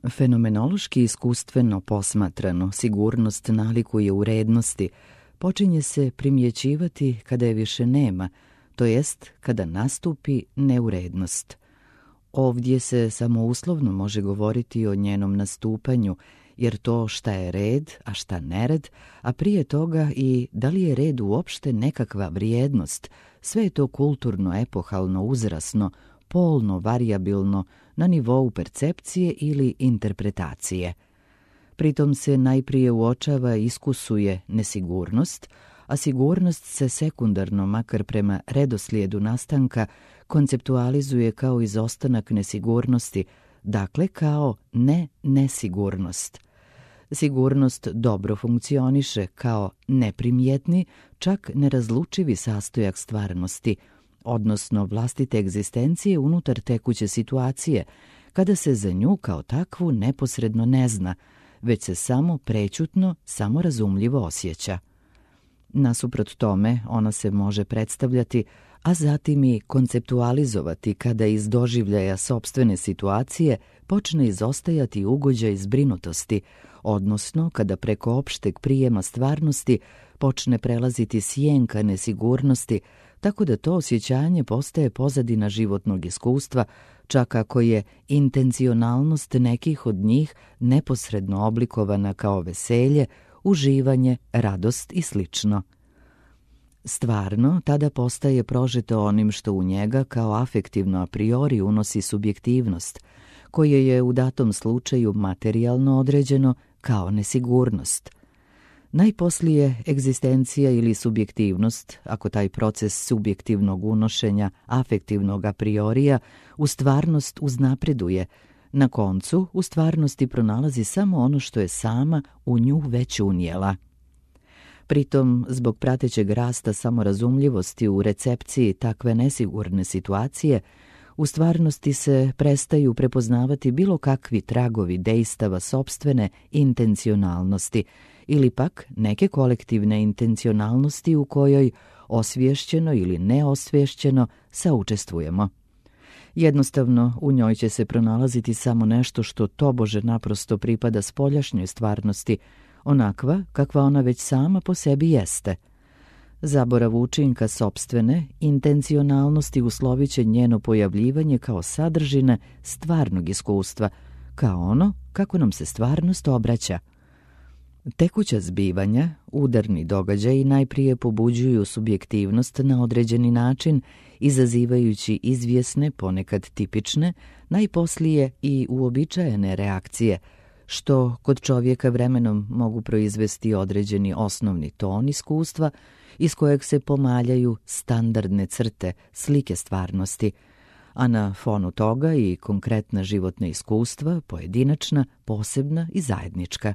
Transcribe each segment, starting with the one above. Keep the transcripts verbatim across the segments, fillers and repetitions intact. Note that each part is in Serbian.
Fenomenološki iskustveno posmatrano, sigurnost nalikuje urednosti, počinje se primjećivati kada je više nema, to jest kada nastupi neurednost. Ovdje se samo uslovno može govoriti o njenom nastupanju, jer to šta je red, a šta nered, a prije toga i da li je red uopšte nekakva vrijednost, sve je to kulturno, epohalno, uzrasno, polno, varijabilno, na nivou percepcije ili interpretacije. Pritom se najprije uočava i iskusuje nesigurnost, a sigurnost se sekundarno, makar prema redoslijedu nastanka, konceptualizuje kao izostanak nesigurnosti, dakle kao ne-nesigurnost. Sigurnost dobro funkcioniše kao neprimjetni, čak nerazlučivi sastojak stvarnosti, odnosno vlastite egzistencije unutar tekuće situacije, kada se za nju kao takvu neposredno ne zna, već se samo prećutno, samorazumljivo osjeća. Nasuprot tome, ona se može predstavljati, a zatim i konceptualizovati kada iz doživljaja sopstvene situacije počne izostajati ugođaj zbrinutosti, odnosno kada preko opšteg prijema stvarnosti počne prelaziti sjenka nesigurnosti, tako da to osjećanje postaje pozadina životnog iskustva, čak ako je intencionalnost nekih od njih neposredno oblikovana kao veselje, uživanje, radost i slično. Stvarno, tada postaje prožeto onim što u njega kao afektivno a priori unosi subjektivnost, koje je u datom slučaju materijalno određeno kao nesigurnost. Najposlije egzistencija ili subjektivnost, ako taj proces subjektivnog unošenja afektivnog a priorija u stvarnost uznapreduje, na koncu u stvarnosti pronalazi samo ono što je sama u nju već unijela. Pritom, zbog pratećeg rasta samorazumljivosti u recepciji takve nesigurne situacije, u stvarnosti se prestaju prepoznavati bilo kakvi tragovi dejstava sopstvene intencionalnosti ili pak neke kolektivne intencionalnosti u kojoj osvješćeno ili neosvješćeno saučestvujemo. Jednostavno, u njoj će se pronalaziti samo nešto što tobože naprosto pripada spoljašnjoj stvarnosti, onakva kakva ona već sama po sebi jeste. Zaborav učinka sopstvene intencionalnosti uslovit će njeno pojavljivanje kao sadržine stvarnog iskustva, kao ono kako nam se stvarnost obraća. Tekuća zbivanja, udarni događaji najprije pobuđuju subjektivnost na određeni način, izazivajući izvjesne, ponekad tipične, najposlije i uobičajene reakcije, što kod čovjeka vremenom mogu proizvesti određeni osnovni ton iskustva, iz kojeg se pomaljaju standardne crte, slike stvarnosti, a na fonu toga i konkretna životna iskustva, pojedinačna, posebna i zajednička.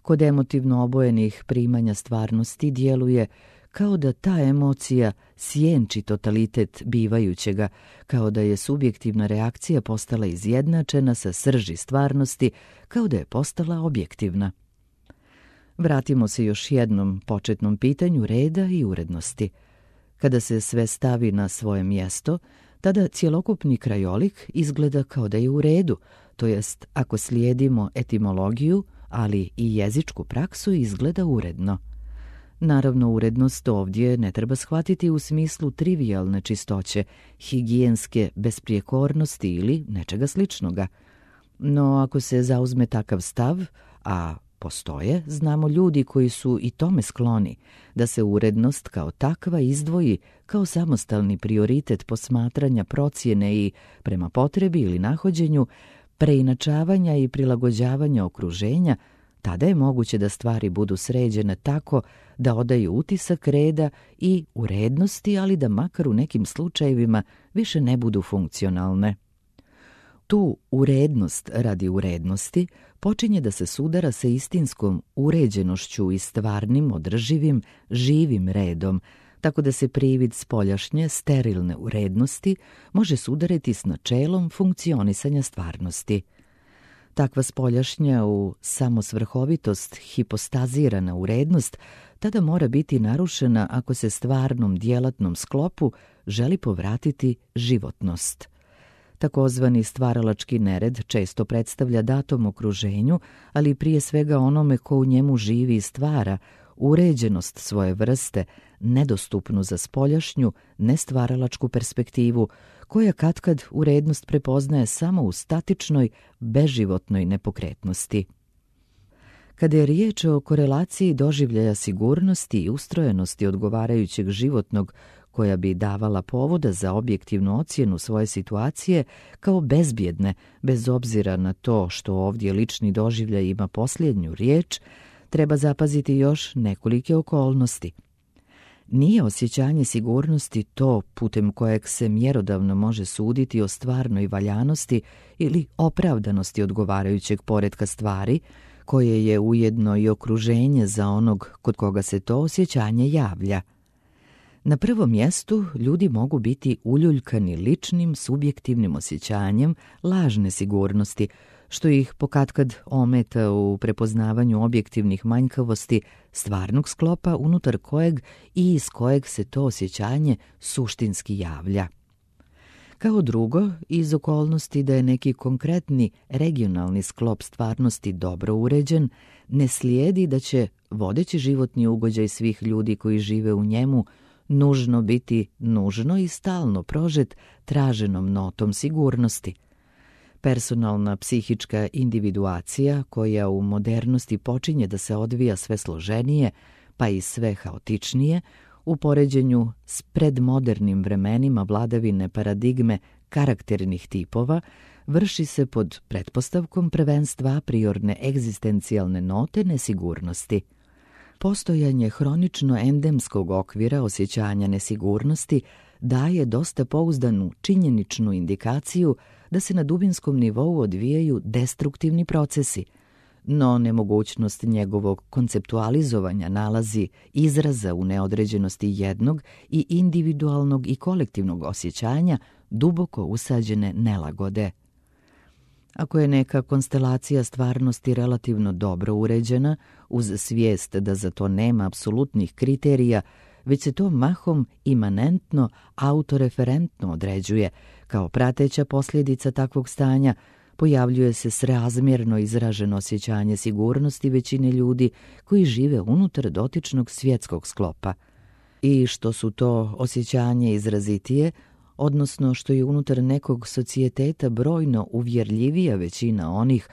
Kod emotivno obojenih primanja stvarnosti djeluje kao da ta emocija sjenči totalitet bivajućega, kao da je subjektivna reakcija postala izjednačena sa srži stvarnosti, kao da je postala objektivna. Vratimo se još jednom početnom pitanju reda i urednosti. Kada se sve stavi na svoje mjesto, tada cjelokupni krajolik izgleda kao da je u redu, to jest ako slijedimo etimologiju, ali i jezičku praksu, izgleda uredno. Naravno, urednost ovdje ne treba shvatiti u smislu trivijalne čistoće, higijenske besprijekornosti ili nečega sličnoga. No, ako se zauzme takav stav, a postoje, znamo ljudi koji su i tome skloni, da se urednost kao takva izdvoji kao samostalni prioritet posmatranja, procjene i, prema potrebi ili nahođenju, preinačavanja i prilagođavanja okruženja, tada je moguće da stvari budu sređene tako da odaju utisak reda i urednosti, ali da makar u nekim slučajevima više ne budu funkcionalne. Tu urednost radi urednosti počinje da se sudara sa istinskom uređenošću i stvarnim, održivim, živim redom, tako da se privid spoljašnje, sterilne urednosti može sudariti s načelom funkcionisanja stvarnosti. Takva spoljašnja u samosvrhovitost hipostazirana urednost tada mora biti narušena ako se stvarnom djelatnom sklopu želi povratiti životnost. Takozvani stvaralački nered često predstavlja datom okruženju, ali prije svega onome ko u njemu živi i stvara, uređenost svoje vrste, nedostupnu za spoljašnju, nestvaralačku perspektivu, koja katkad urednost prepoznaje samo u statičnoj, beživotnoj nepokretnosti. Kada je riječ o korelaciji doživljaja sigurnosti i ustrojenosti odgovarajućeg životnog, koja bi davala povoda za objektivnu ocjenu svoje situacije kao bezbjedne, bez obzira na to što ovdje lični doživljaj ima posljednju riječ, treba zapaziti još nekolike okolnosti. Nije osjećanje sigurnosti to putem kojeg se mjerodavno može suditi o stvarnoj valjanosti ili opravdanosti odgovarajućeg poretka stvari, koje je ujedno i okruženje za onog kod koga se to osjećanje javlja. Na prvom mjestu ljudi mogu biti uljuljkani ličnim, subjektivnim osjećanjem lažne sigurnosti, što ih pokatkad ometa u prepoznavanju objektivnih manjkavosti stvarnog sklopa unutar kojeg i iz kojeg se to osjećanje suštinski javlja. Kao drugo, iz okolnosti da je neki konkretni regionalni sklop stvarnosti dobro uređen, ne slijedi da će vodeći životni ugođaj svih ljudi koji žive u njemu nužno biti nužno i stalno prožet traženom notom sigurnosti. Personalna psihička individuacija, koja u modernosti počinje da se odvija sve složenije, pa i sve haotičnije, u poređenju s predmodernim vremenima vladavine paradigme karakternih tipova, vrši se pod pretpostavkom prvenstva a priorne egzistencijalne note nesigurnosti. Postojanje hronično endemskog okvira osjećanja nesigurnosti daje dosta pouzdanu činjeničnu indikaciju da se na dubinskom nivou odvijaju destruktivni procesi, no nemogućnost njegovog konceptualizovanja nalazi izraza u neodređenosti jednog i individualnog i kolektivnog osjećanja duboko usađene nelagode. Ako je neka konstelacija stvarnosti relativno dobro uređena, uz svijest da za to nema apsolutnih kriterija, već se to mahom imanentno, autoreferentno određuje, kao prateća posljedica takvog stanja, pojavljuje se srazmjerno izraženo osjećanje sigurnosti većine ljudi koji žive unutar dotičnog svjetskog sklopa. I što su to osjećanje izrazitije, odnosno što je unutar nekog socijeteta brojno uvjerljivija većina onih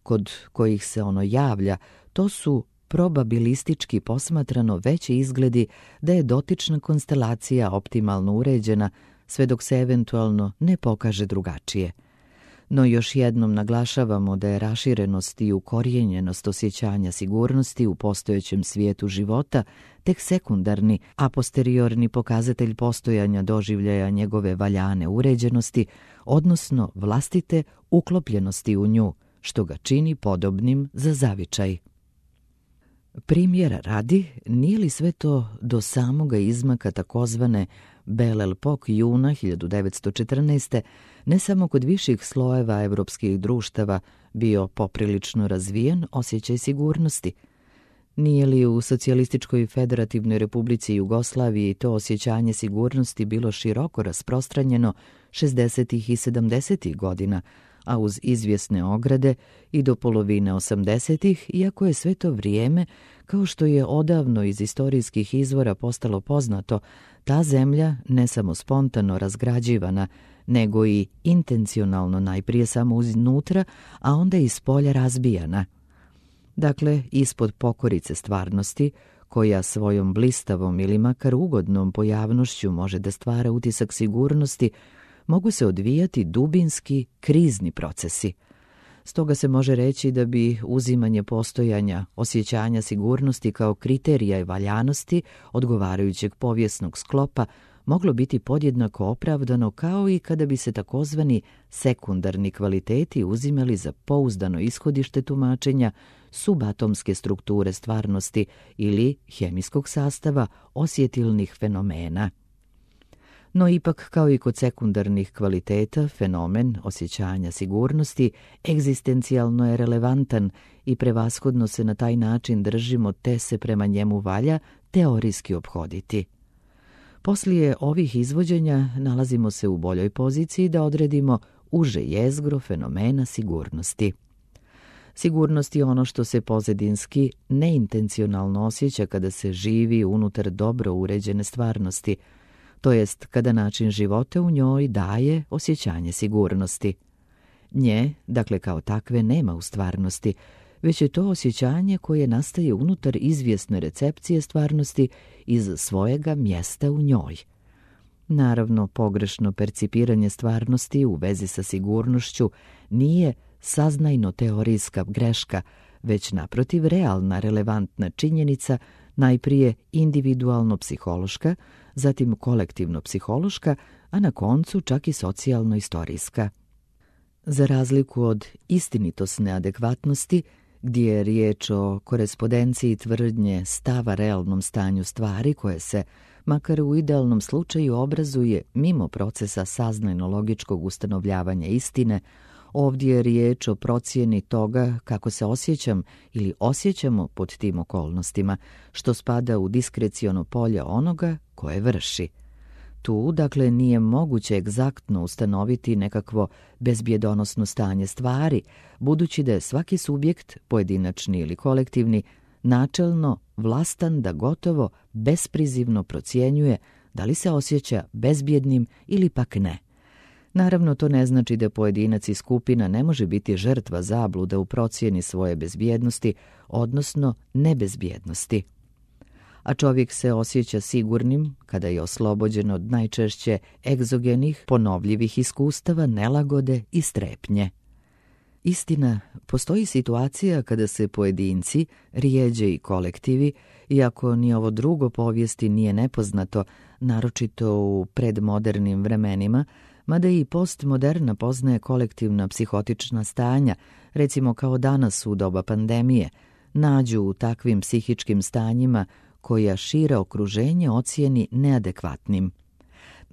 kod kojih se ono javlja, to su probabilistički posmatrano veći izgledi da je dotična konstelacija optimalno uređena, sve dok se eventualno ne pokaže drugačije. No još jednom naglašavamo da je raširenost i ukorijenjenost osjećanja sigurnosti u postojećem svijetu života tek sekundarni, a posteriorni pokazatelj postojanja doživljaja njegove valjane uređenosti, odnosno vlastite uklopljenosti u nju, što ga čini podobnim za zavičaj. Primjera radi, nije li sve to do samoga izmaka takozvane Belle Époque juna hiljadu devetsto četrnaeste. ne samo kod viših slojeva evropskih društava bio poprilično razvijen osjećaj sigurnosti? Nije li u Socijalističkoj federativnoj republici Jugoslaviji to osjećanje sigurnosti bilo široko rasprostranjeno šezdesetih i sedamdesetih godina, a uz izvjesne ograde i do polovine osamdesetih, iako je sve to vrijeme, kao što je odavno iz istorijskih izvora postalo poznato, ta zemlja ne samo spontano razgrađivana, nego i intencionalno najprije samo uznutra, a onda iz polja razbijana. Dakle, ispod pokorice stvarnosti, koja svojom blistavom ili makar ugodnom pojavnošću može da stvara utisak sigurnosti, mogu se odvijati dubinski, krizni procesi. Stoga se može reći da bi uzimanje postojanja osjećanja sigurnosti kao kriterija i valjanosti odgovarajućeg povijesnog sklopa moglo biti podjednako opravdano kao i kada bi se takozvani sekundarni kvaliteti uzimali za pouzdano ishodište tumačenja subatomske strukture stvarnosti ili hemijskog sastava osjetilnih fenomena. No ipak, kao i kod sekundarnih kvaliteta, fenomen osjećanja sigurnosti egzistencijalno je relevantan i prevashodno se na taj način držimo te se prema njemu valja teorijski ophoditi. Poslije ovih izvođenja nalazimo se u boljoj poziciji da odredimo uže jezgro fenomena sigurnosti. Sigurnost je ono što se pozadinski neintencionalno osjeća kada se živi unutar dobro uređene stvarnosti, to jest kada način života u njoj daje osjećanje sigurnosti. Nje, dakle kao takve, nema u stvarnosti, već je to osjećanje koje nastaje unutar izvjesne recepcije stvarnosti iz svojega mjesta u njoj. Naravno, pogrešno percipiranje stvarnosti u vezi sa sigurnošću nije saznajno-teorijska greška, već naprotiv realna relevantna činjenica, najprije individualno-psihološka, zatim kolektivno-psihološka, a na koncu čak i socijalno-istorijska. Za razliku od istinitosne adekvatnosti, gdje je riječ o korespondenciji tvrdnje stava realnom stanju stvari koje se, makar u idealnom slučaju, obrazuje mimo procesa saznajno-logičkog ustanovljavanja istine, ovdje je riječ o procjeni toga kako se osjećam ili osjećamo pod tim okolnostima, što spada u diskreciono polje onoga koje vrši. Tu, dakle, nije moguće egzaktno ustanoviti nekakvo bezbjedonosno stanje stvari, budući da je svaki subjekt, pojedinačni ili kolektivni, načelno vlastan da gotovo besprizivno procjenjuje da li se osjeća bezbjednim ili pak ne. Naravno, to ne znači da pojedinac i skupina ne može biti žrtva zabluda u procjeni svoje bezbjednosti, odnosno nebezbjednosti. A čovjek se osjeća sigurnim kada je oslobođen od najčešće egzogenih, ponovljivih iskustava, nelagode i strepnje. Istina, postoji situacija kada se pojedinci, rijeđe i kolektivi, iako ni ovo drugo povijesti nije nepoznato, naročito u predmodernim vremenima, mada i postmoderna poznaje kolektivna psihotična stanja, recimo kao danas u doba pandemije, nađu u takvim psihičkim stanjima koja šire okruženje ocijeni neadekvatnim.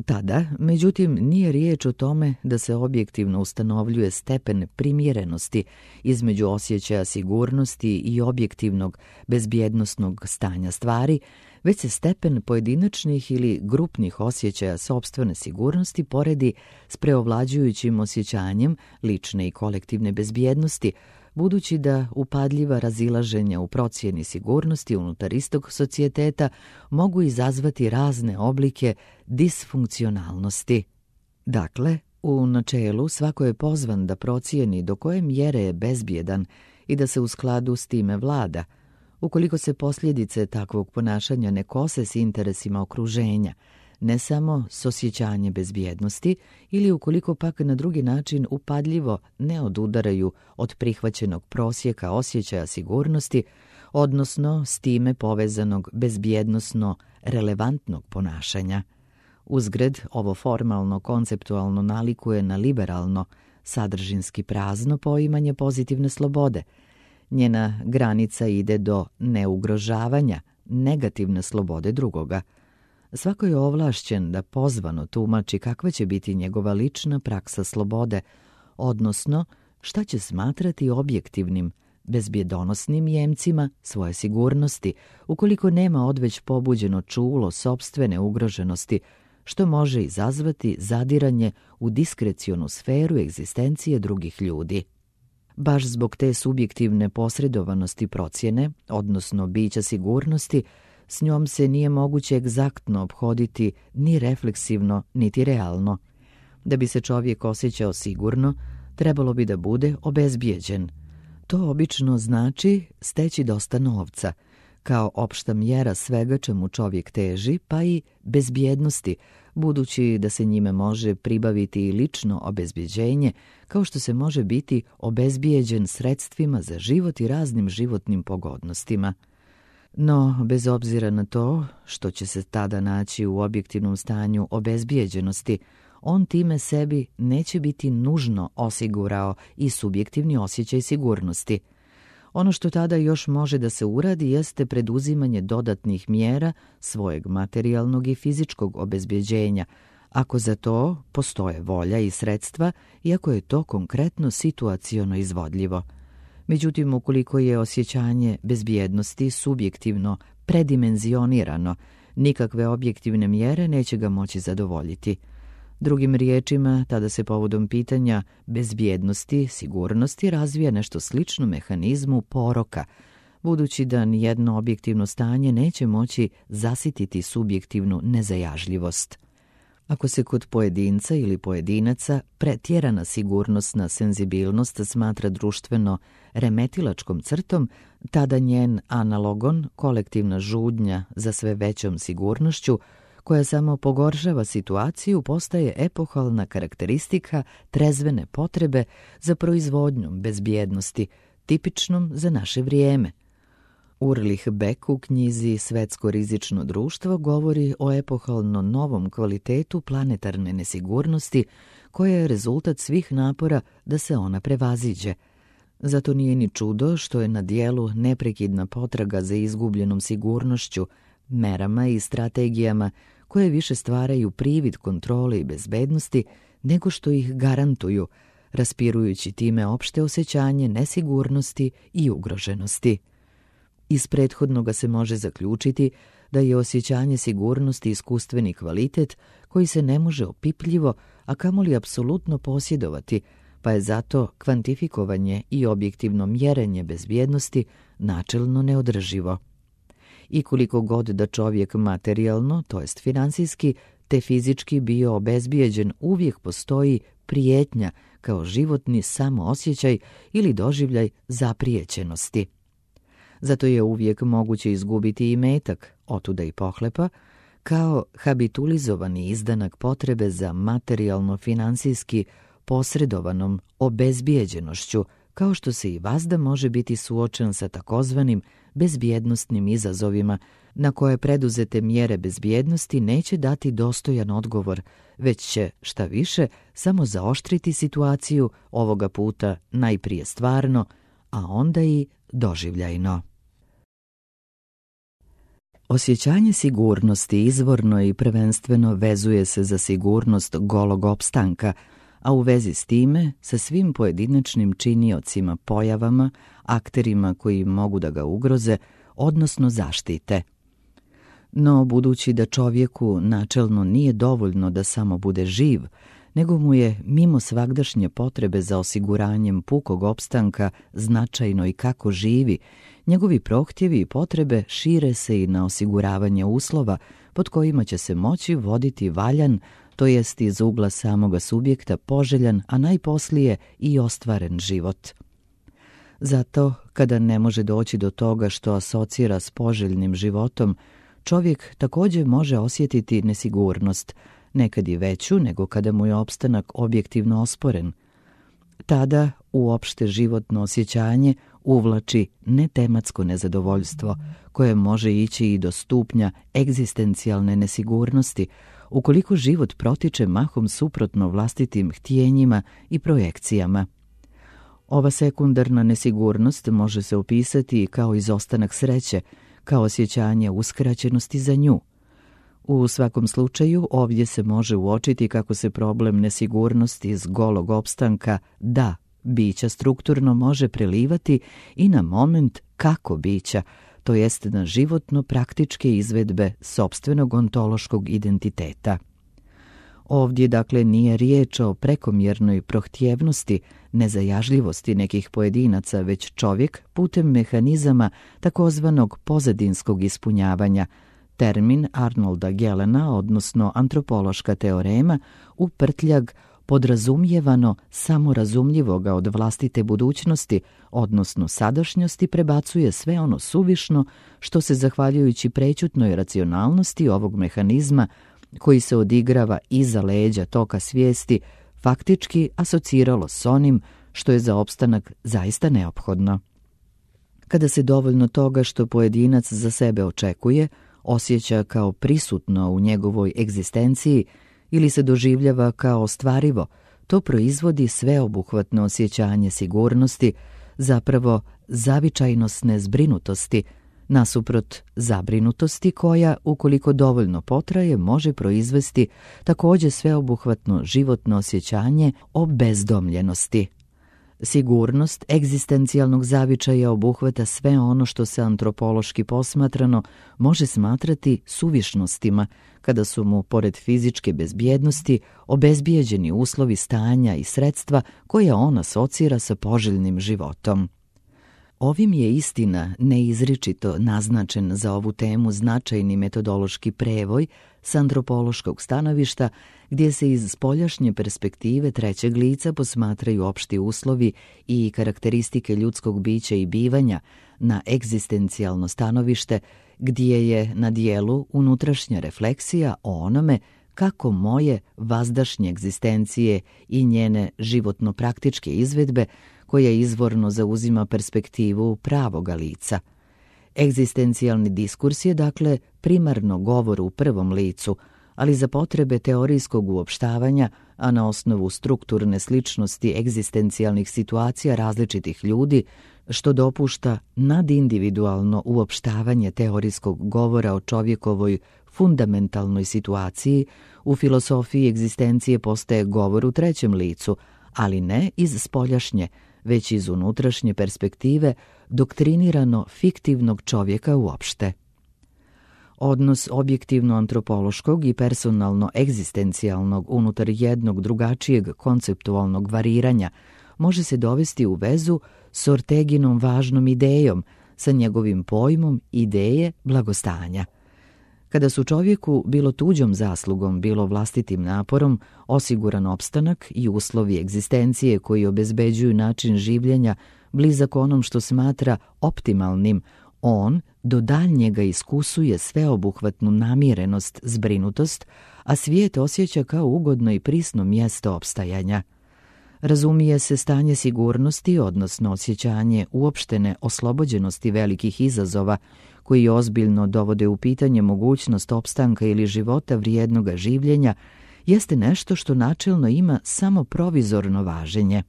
Tada, međutim, nije riječ o tome da se objektivno ustanovljuje stepen primjerenosti između osjećaja sigurnosti i objektivnog bezbjednosnog stanja stvari, već se stepen pojedinačnih ili grupnih osjećaja sopstvene sigurnosti poredi s preovlađujućim osjećanjem lične i kolektivne bezbjednosti, budući da upadljiva razilaženja u procjeni sigurnosti unutar istog socijeteta mogu izazvati razne oblike disfunkcionalnosti. Dakle, u načelu svako je pozvan da procijeni do koje mjere je bezbjedan i da se u skladu s time vlada, ukoliko se posljedice takvog ponašanja ne kose s interesima okruženja, ne samo s osjećanjem bezbjednosti, ili ukoliko pak na drugi način upadljivo ne odudaraju od prihvaćenog prosjeka osjećaja sigurnosti, odnosno s time povezanog bezbjednosno relevantnog ponašanja. Uzgred, ovo formalno konceptualno nalikuje na liberalno, sadržinski prazno poimanje pozitivne slobode. Njena granica ide do neugrožavanja negativne slobode drugoga. Svako je ovlašćen da pozvano tumači kakva će biti njegova lična praksa slobode, odnosno šta će smatrati objektivnim, bezbjedonosnim jemcima svoje sigurnosti, ukoliko nema odveć pobuđeno čulo sopstvene ugroženosti, što može izazvati zadiranje u diskrecionu sferu egzistencije drugih ljudi. Baš zbog te subjektivne posredovanosti procjene, odnosno bića sigurnosti, s njom se nije moguće egzaktno ophoditi ni refleksivno, niti realno. Da bi se čovjek osjećao sigurno, trebalo bi da bude obezbijeđen. To obično znači steći dosta novca, kao opšta mjera svega čemu čovjek teži, pa i bezbjednosti, budući da se njime može pribaviti i lično obezbjeđenje, kao što se može biti obezbijeđen sredstvima za život i raznim životnim pogodnostima. No, bez obzira na to što će se tada naći u objektivnom stanju obezbijeđenosti, on time sebi neće biti nužno osigurao i subjektivni osjećaj sigurnosti. Ono što tada još može da se uradi jeste preduzimanje dodatnih mjera svojeg materijalnog i fizičkog obezbjeđenja, ako za to postoje volja i sredstva i ako je to konkretno situaciono izvodljivo. Međutim, ukoliko je osjećanje bezbjednosti subjektivno predimenzionirano, nikakve objektivne mjere neće ga moći zadovoljiti. Drugim riječima, tada se povodom pitanja bezbjednosti, sigurnosti razvija nešto slično mehanizmu poroka, budući da nijedno objektivno stanje neće moći zasititi subjektivnu nezajažljivost. Ako se kod pojedinca ili pojedinaca pretjerana sigurnosna senzibilnost smatra društveno remetilačkom crtom, tada njen analogon, kolektivna žudnja za sve većom sigurnošću, koja samo pogoršava situaciju, postaje epohalna karakteristika trezvene potrebe za proizvodnjom bezbjednosti, tipičnom za naše vrijeme. Urlih Beck u knjizi Svetsko rizično društvo govori o epohalno novom kvalitetu planetarne nesigurnosti koja je rezultat svih napora da se ona prevaziđe. Zato nije ni čudo što je na dijelu neprekidna potraga za izgubljenom sigurnošću, merama i strategijama koje više stvaraju privid kontrole i bezbednosti nego što ih garantuju, raspirujući time opšte osjećanje nesigurnosti i ugroženosti. Iz prethodnoga se može zaključiti da je osjećanje sigurnosti iskustveni kvalitet koji se ne može opipljivo, a kamoli apsolutno posjedovati, pa je zato kvantifikovanje i objektivno mjerenje bezbjednosti načelno neodrživo. I koliko god da čovjek materijalno, to jest finansijski, te fizički bio obezbijeđen, uvijek postoji prijetnja kao životni samoosjećaj ili doživljaj zaprijećenosti. Zato je uvijek moguće izgubiti i metak, otuda i pohlepa, kao habitulizovani izdanak potrebe za materijalno-finansijski posredovanom obezbijeđenošću, kao što se i vazda može biti suočen sa takozvanim bezbjednostnim izazovima, na koje preduzete mjere bezbjednosti neće dati dostojan odgovor, već će, šta više, samo zaoštriti situaciju, ovoga puta najprije stvarno, a onda i doživljajno. Osjećanje sigurnosti izvorno i prvenstveno vezuje se za sigurnost golog opstanka, a u vezi s time sa svim pojedinačnim činiocima, pojavama, akterima koji mogu da ga ugroze, odnosno zaštite. No, budući da čovjeku načelno nije dovoljno da samo bude živ, nego mu je mimo svagdašnje potrebe za osiguranjem pukog opstanka značajno i kako živi, njegovi prohtjevi i potrebe šire se i na osiguravanje uslova pod kojima će se moći voditi valjan, to jest iz ugla samoga subjekta poželjan, a najposlije i ostvaren život. Zato, kada ne može doći do toga što asocira s poželjnim životom, čovjek također može osjetiti nesigurnost, nekad i veću nego kada mu je opstanak objektivno osporen. Tada uopšte životno osjećanje uvlači netematsko nezadovoljstvo, koje može ići i do stupnja egzistencijalne nesigurnosti, ukoliko život protiče mahom suprotno vlastitim htjenjima i projekcijama. Ova sekundarna nesigurnost može se opisati kao izostanak sreće, kao osjećanje uskraćenosti za nju. U svakom slučaju ovdje se može uočiti kako se problem nesigurnosti iz golog opstanka da bića strukturno može prelivati i na moment kako bića, to jest na životno praktičke izvedbe sopstvenog ontološkog identiteta. Ovdje dakle nije riječ o prekomjernoj prohtjevnosti, nezajažljivosti nekih pojedinaca, već čovjek putem mehanizama takozvanog pozadinskog ispunjavanja, termin Arnolda Gelena, odnosno antropološka teorema, u prtljag podrazumijevano samorazumljivoga od vlastite budućnosti, odnosno sadašnjosti, prebacuje sve ono suvišno što se, zahvaljujući prećutnoj racionalnosti ovog mehanizma, koji se odigrava iza leđa toka svijesti, faktički asociralo s onim što je za opstanak zaista neophodno. Kada se dovoljno toga što pojedinac za sebe očekuje, osjeća kao prisutno u njegovoj egzistenciji ili se doživljava kao ostvarivo, to proizvodi sveobuhvatno osjećanje sigurnosti, zapravo zavičajnosne zbrinutosti, nasuprot zabrinutosti koja, ukoliko dovoljno potraje, može proizvesti također sveobuhvatno životno osjećanje o bezdomljenosti. Sigurnost egzistencijalnog zavičaja obuhvata sve ono što se antropološki posmatrano može smatrati suvišnostima, kada su mu, pored fizičke bezbjednosti, obezbijeđeni uslovi stanja i sredstva koja on asocira sa poželjnim životom. Ovim je istina neizričito naznačen za ovu temu značajni metodološki prevoj s antropološkog stanovišta, gdje se iz spoljašnje perspektive trećeg lica posmatraju opšti uslovi i karakteristike ljudskog bića i bivanja, na egzistencijalno stanovište, gdje je na dijelu unutrašnja refleksija o onome kako moje vazdašnje egzistencije i njene životno-praktičke izvedbe, koja izvorno zauzima perspektivu pravoga lica. Egzistencijalni diskurs je, dakle, primarno govor u prvom licu, ali za potrebe teorijskog uopštavanja, a na osnovu strukturne sličnosti egzistencijalnih situacija različitih ljudi, što dopušta nadindividualno uopštavanje teorijskog govora o čovjekovoj fundamentalnoj situaciji, u filosofiji egzistencije postaje govor u trećem licu, ali ne iz spoljašnje, već iz unutrašnje perspektive doktrinirano fiktivnog čovjeka uopšte. Odnos objektivno-antropološkog i personalno-egzistencijalnog unutar jednog drugačijeg konceptualnog variranja može se dovesti u vezu s Orteginom važnom idejom, sa njegovim pojmom ideje blagostanja. Kada su čovjeku, bilo tuđom zaslugom, bilo vlastitim naporom, osiguran opstanak i uslovi egzistencije koji obezbeđuju način življenja blizak onom što smatra optimalnim, on do daljnjega iskusuje sveobuhvatnu namirenost, zbrinutost, a svijet osjeća kao ugodno i prisno mjesto opstajanja. Razumije se stanje sigurnosti, odnosno osjećanje uopštene oslobođenosti velikih izazova, koji ozbiljno dovode u pitanje mogućnost opstanka ili života vrijednoga življenja, jeste nešto što načelno ima samo provizorno važenje.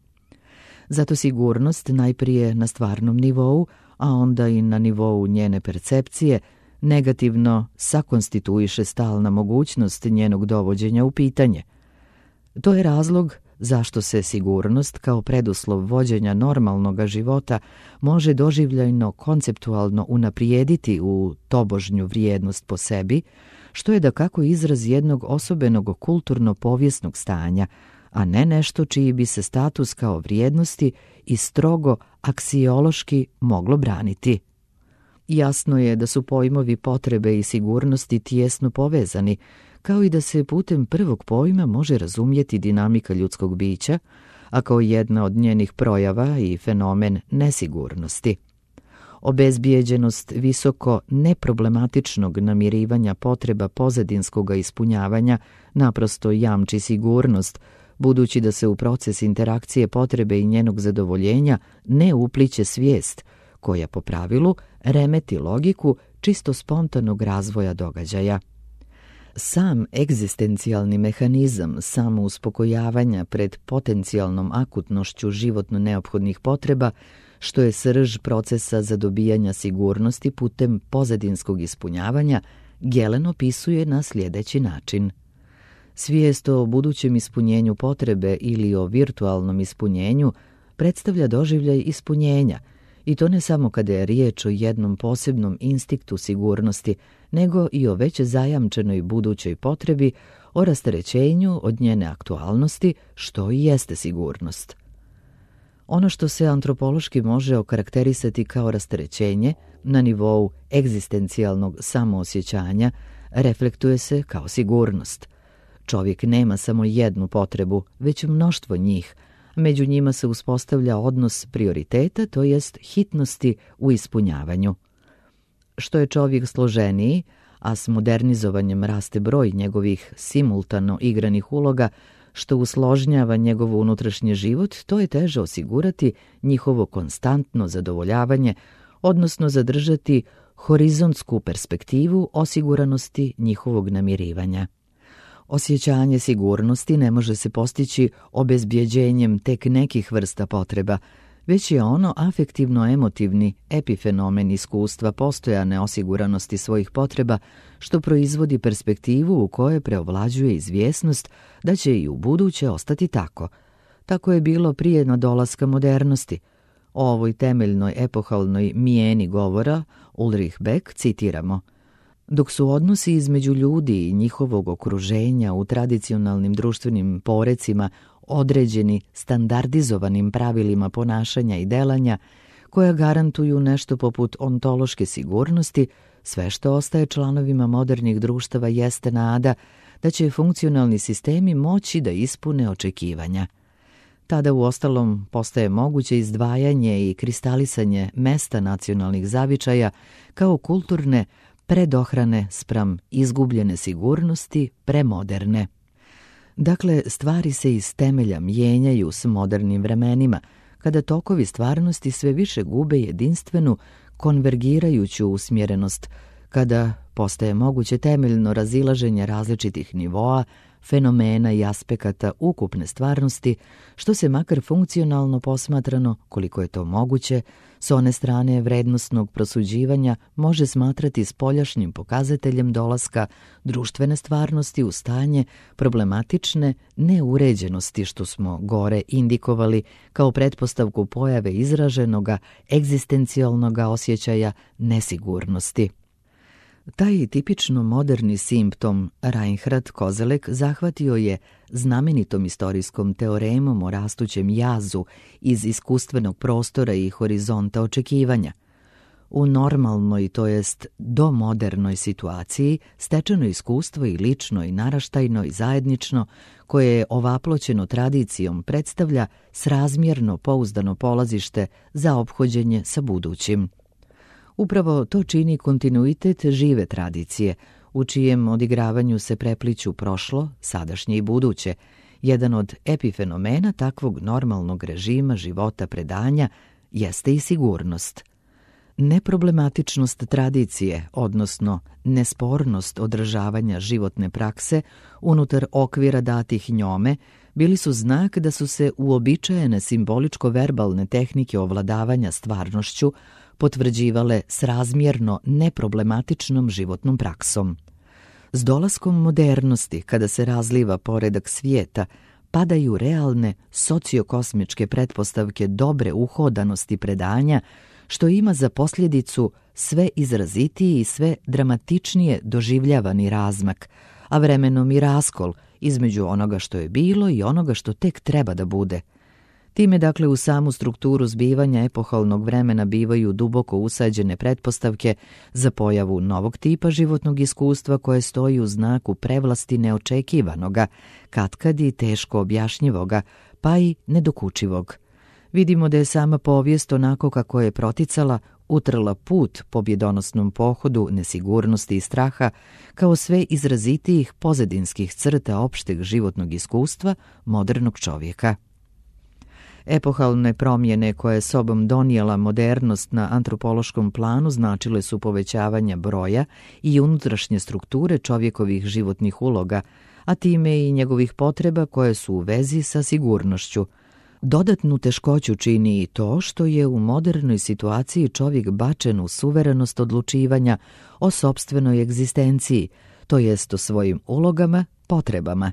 Zato sigurnost najprije na stvarnom nivou, a onda i na nivou njene percepcije, negativno sakonstituiše stalna mogućnost njenog dovođenja u pitanje. To je razlog zašto se sigurnost kao preduslov vođenja normalnog života može doživljajno konceptualno unaprijediti u tobožnju vrijednost po sebi, što je dakako izraz jednog osobenog kulturno-povijesnog stanja, a ne nešto čiji bi se status kao vrijednosti i strogo aksiološki moglo braniti. Jasno je da su pojmovi potrebe i sigurnosti tijesno povezani, kao i da se putem prvog pojma može razumjeti dinamika ljudskog bića, a kao jedna od njenih projava i fenomen nesigurnosti. Obezbijeđenost visoko neproblematičnog namirivanja potreba pozadinskog ispunjavanja naprosto jamči sigurnost, budući da se u proces interakcije potrebe i njenog zadovoljenja ne upliće svijest, koja po pravilu remeti logiku čisto spontanog razvoja događaja. Sam egzistencijalni mehanizam samouspokojavanja pred potencijalnom akutnošću životno neophodnih potreba, što je srž procesa zadobijanja sigurnosti putem pozadinskog ispunjavanja, Gelen opisuje na sljedeći način. Svijest o budućem ispunjenju potrebe ili o virtualnom ispunjenju predstavlja doživljaj ispunjenja, i to ne samo kada je riječ o jednom posebnom instiktu sigurnosti, nego i o već zajamčenoj budućoj potrebi, o rasterećenju od njene aktualnosti, što i jeste sigurnost. Ono što se antropološki može okarakterisati kao rasterećenje na nivou egzistencijalnog samoosjećanja reflektuje se kao sigurnost. Čovjek nema samo jednu potrebu, već mnoštvo njih. Među njima se uspostavlja odnos prioriteta, to jest hitnosti u ispunjavanju. Što je čovjek složeniji, a s modernizovanjem raste broj njegovih simultano igranih uloga, što usložnjava njegov unutrašnji život, to je teže osigurati njihovo konstantno zadovoljavanje, odnosno zadržati horizontsku perspektivu osiguranosti njihovog namirivanja. Osjećanje sigurnosti ne može se postići obezbjeđenjem tek nekih vrsta potreba, već je ono afektivno-emotivni epifenomen iskustva postojane osiguranosti svojih potreba, što proizvodi perspektivu u kojoj preovlađuje izvjesnost da će i u buduće ostati tako. Tako je bilo prije nadolaska modernosti. O ovoj temeljnoj epohalnoj mijeni govora Ulrich Beck citiramo: dok su odnosi između ljudi i njihovog okruženja u tradicionalnim društvenim porecima određeni standardizovanim pravilima ponašanja i delanja koja garantuju nešto poput ontološke sigurnosti, sve što ostaje članovima modernih društava jeste nada da će funkcionalni sistemi moći da ispune očekivanja. Tada uostalom postaje moguće izdvajanje i kristalisanje mesta nacionalnih zavičaja kao kulturne predohrane spram izgubljene sigurnosti premoderne. Dakle, stvari se iz temelja mijenjaju s modernim vremenima, kada tokovi stvarnosti sve više gube jedinstvenu, konvergirajuću usmjerenost, kada postaje moguće temeljno razilaženje različitih nivoa, fenomena i aspekata ukupne stvarnosti, što se makar funkcionalno posmatrano, koliko je to moguće, s one strane vrednostnog prosuđivanja može smatrati spoljašnjim pokazateljem dolaska društvene stvarnosti u stanje problematične neuređenosti, što smo gore indikovali kao pretpostavku pojave izraženoga egzistencijalnoga osjećaja nesigurnosti. Taj tipično moderni simptom Reinhard Koselleck zahvatio je znamenitom istorijskom teoremom o rastućem jazu iz iskustvenog prostora i horizonta očekivanja. U normalnoj, to jest domodernoj situaciji, stečeno iskustvo i lično i naraštajno i zajednično, koje je ovaploćeno tradicijom, predstavlja srazmjerno pouzdano polazište za ophođenje sa budućim. Upravo to čini kontinuitet žive tradicije, u čijem odigravanju se prepliću prošlo, sadašnje i buduće. Jedan od epifenomena takvog normalnog režima života predanja jeste i sigurnost. Neproblematičnost tradicije, odnosno nespornost održavanja životne prakse unutar okvira datih njome, bili su znak da su se uobičajene simboličko-verbalne tehnike ovladavanja stvarnošću potvrđivale srazmjerno neproblematičnom životnom praksom. S dolaskom modernosti, kada se razliva poredak svijeta, padaju realne sociokosmičke pretpostavke dobre uhodanosti predanja, što ima za posljedicu sve izrazitiji i sve dramatičnije doživljavani razmak, a vremenom i raskol između onoga što je bilo i onoga što tek treba da bude. Time, dakle, u samu strukturu zbivanja epohalnog vremena bivaju duboko usađene pretpostavke za pojavu novog tipa životnog iskustva koje stoji u znaku prevlasti neočekivanoga, katkad i teško objašnjivoga, pa i nedokučivog. Vidimo da je sama povijest onako kako je proticala utrla put pobjedonosnom pohodu nesigurnosti i straha kao sve izrazitijih pozadinskih crta opšteg životnog iskustva modernog čovjeka. Epohalne promjene koje je sobom donijela modernost na antropološkom planu značile su povećavanje broja i unutrašnje strukture čovjekovih životnih uloga, a time i njegovih potreba koje su u vezi sa sigurnošću. Dodatnu teškoću čini i to što je u modernoj situaciji čovjek bačen u suverenost odlučivanja o sopstvenoj egzistenciji, to jest o svojim ulogama, potrebama.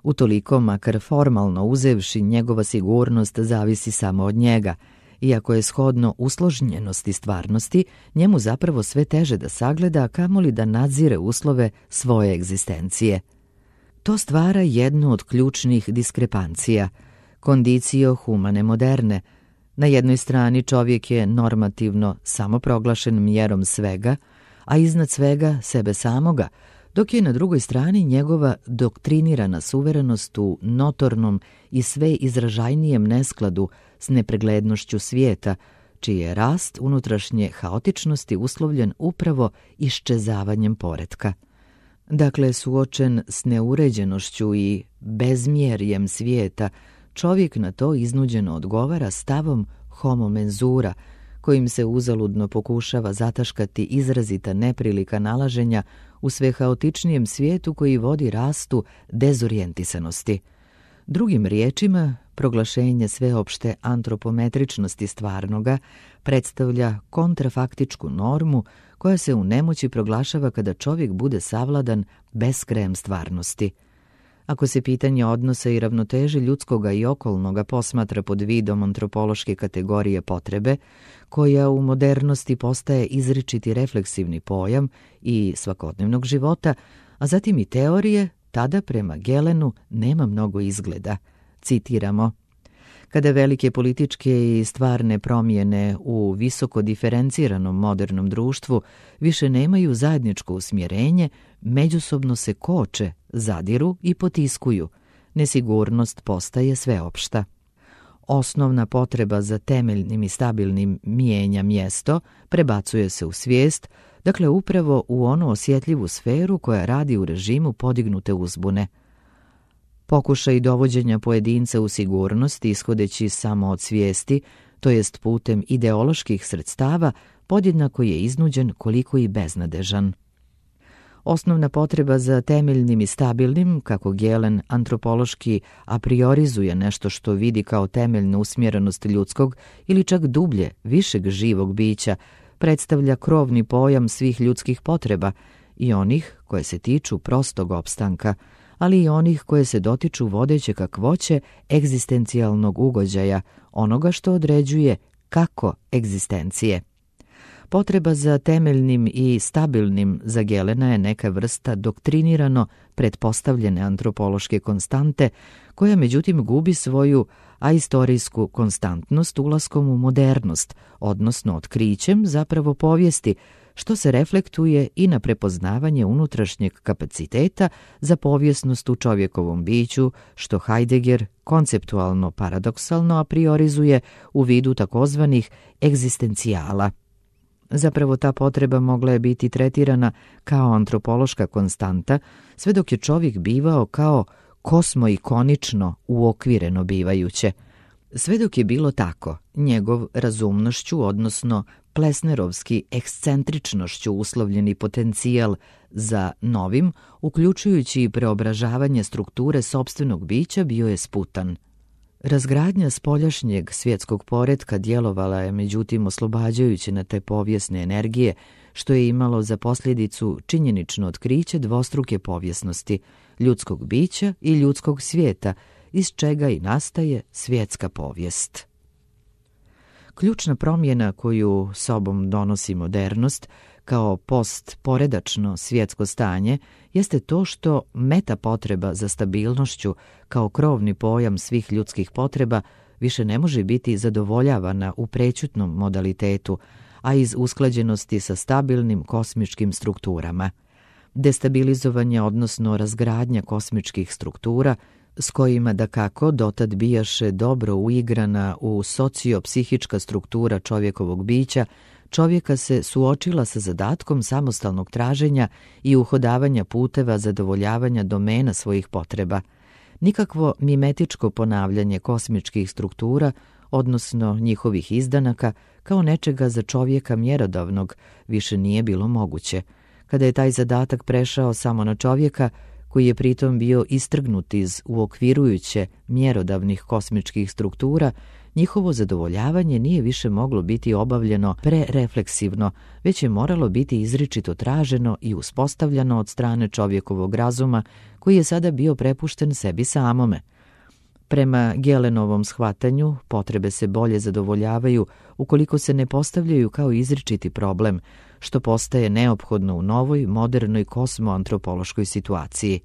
Utoliko, makar formalno uzevši, njegova sigurnost zavisi samo od njega, iako je shodno usložnjenosti stvarnosti, njemu zapravo sve teže da sagleda, kamoli da nadzire uslove svoje egzistencije. To stvara jednu od ključnih diskrepancija, kondicio humane moderne. Na jednoj strani čovjek je normativno samoproglašen mjerom svega, a iznad svega sebe samoga, dok je na drugoj strani njegova doktrinirana suverenost u notornom i sve izražajnijem neskladu s nepreglednošću svijeta, čiji je rast unutrašnje haotičnosti uslovljen upravo iščezavanjem poretka. Dakle, suočen s neuređenošću i bezmjerjem svijeta, čovjek na to iznuđeno odgovara stavom homo mensura, kojim se uzaludno pokušava zataškati izrazita neprilika nalaženja u sve haotičnijem svijetu koji vodi rastu dezorijentisanosti. Drugim riječima, proglašenje sveopšte antropometričnosti stvarnoga predstavlja kontrafaktičku normu koja se u nemoći proglašava kada čovjek bude savladan beskrajem stvarnosti. Ako se pitanje odnosa i ravnoteže ljudskoga i okolnoga posmatra pod vidom antropološke kategorije potrebe, koja u modernosti postaje izričiti refleksivni pojam i svakodnevnog života, a zatim i teorije, tada prema Gelenu nema mnogo izgleda. Citiramo: kada velike političke i stvarne promjene u visoko diferenciranom modernom društvu više nemaju zajedničko usmjerenje, međusobno se koče, zadiru i potiskuju. Nesigurnost postaje sveopšta. Osnovna potreba za temeljnim i stabilnim mijenja mjesto prebacuje se u svijest, dakle upravo u onu osjetljivu sferu koja radi u režimu podignute uzbune. Pokušaj dovođenja pojedinca u sigurnost ishodeći samo od svijesti, to jest putem ideoloških sredstava, podjednako je iznuđen koliko i beznadežan. Osnovna potreba za temeljnim i stabilnim, kako Gelen antropološki a priorizuje nešto što vidi kao temeljnu usmjerenost ljudskog ili čak dublje, višeg živog bića, predstavlja krovni pojam svih ljudskih potreba i onih koje se tiču prostog opstanka, ali i onih koje se dotiču vodeće kakvoće egzistencijalnog ugođaja, onoga što određuje kako egzistencije. Potreba za temeljnim i stabilnim za Gelena je neka vrsta doktrinirano pretpostavljene antropološke konstante, koja međutim gubi svoju aistorijsku konstantnost ulaskom u modernost, odnosno otkrićem zapravo povijesti, što se reflektuje i na prepoznavanje unutrašnjeg kapaciteta za povijesnost u čovjekovom biću, što Heidegger konceptualno paradoksalno a priorizuje u vidu takozvanih egzistencijala. Zapravo ta potreba mogla je biti tretirana kao antropološka konstanta, sve dok je čovjek bivao kao kosmoikonično uokvireno bivajuće. Sve dok je bilo tako, njegov razumnošću, odnosno plesnerovski ekscentričnošću uslovljeni potencijal za novim, uključujući i preobražavanje strukture sopstvenog bića, bio je sputan. Razgradnja spoljašnjeg svjetskog poretka djelovala je međutim oslobađajući na te povijesne energije, što je imalo za posljedicu činjenično otkriće dvostruke povijesnosti, ljudskog bića i ljudskog svijeta, iz čega i nastaje svjetska povijest. Ključna promjena koju sobom donosi modernost, kao postporedačno svjetsko stanje, jeste to što meta potreba za stabilnošću kao krovni pojam svih ljudskih potreba više ne može biti zadovoljavana u prećutnom modalitetu, a iz usklađenosti sa stabilnim kosmičkim strukturama. Destabilizovanje, odnosno razgradnja kosmičkih struktura, s kojima dakako dotad bijaše dobro uigrana u sociopsihička struktura čovjekovog bića, čovjeka se suočila sa zadatkom samostalnog traženja i uhodavanja puteva zadovoljavanja domena svojih potreba. Nikakvo mimetičko ponavljanje kosmičkih struktura, odnosno njihovih izdanaka, kao nečega za čovjeka mjerodavnog, više nije bilo moguće. Kada je taj zadatak prešao samo na čovjeka, koji je pritom bio istrgnut iz uokvirujuće mjerodavnih kosmičkih struktura, njihovo zadovoljavanje nije više moglo biti obavljeno prerefleksivno, već je moralo biti izričito traženo i uspostavljano od strane čovjekovog razuma, koji je sada bio prepušten sebi samome. Prema Gelenovom shvatanju, potrebe se bolje zadovoljavaju ukoliko se ne postavljaju kao izričiti problem, što postaje neophodno u novoj, modernoj kosmoantropološkoj situaciji.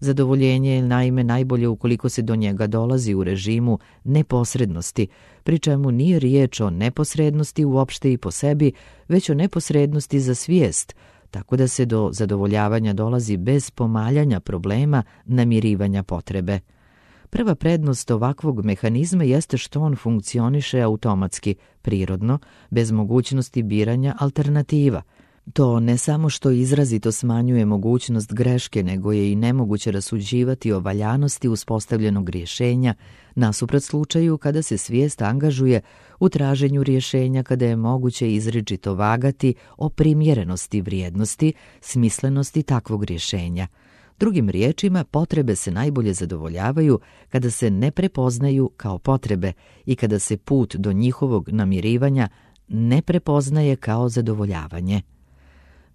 Zadovoljenje je naime najbolje ukoliko se do njega dolazi u režimu neposrednosti, pri čemu nije riječ o neposrednosti uopšte i po sebi, već o neposrednosti za svijest, tako da se do zadovoljavanja dolazi bez pomaljanja problema namirivanja potrebe. Prva prednost ovakvog mehanizma jeste što on funkcioniše automatski, prirodno, bez mogućnosti biranja alternativa. To ne samo što izrazito smanjuje mogućnost greške, nego je i nemoguće rasuđivati o valjanosti uspostavljenog rješenja, nasuprot slučaju kada se svijest angažuje u traženju rješenja, kada je moguće izričito vagati o primjerenosti vrijednosti, smislenosti takvog rješenja. Drugim riječima, potrebe se najbolje zadovoljavaju kada se ne prepoznaju kao potrebe i kada se put do njihovog namirivanja ne prepoznaje kao zadovoljavanje.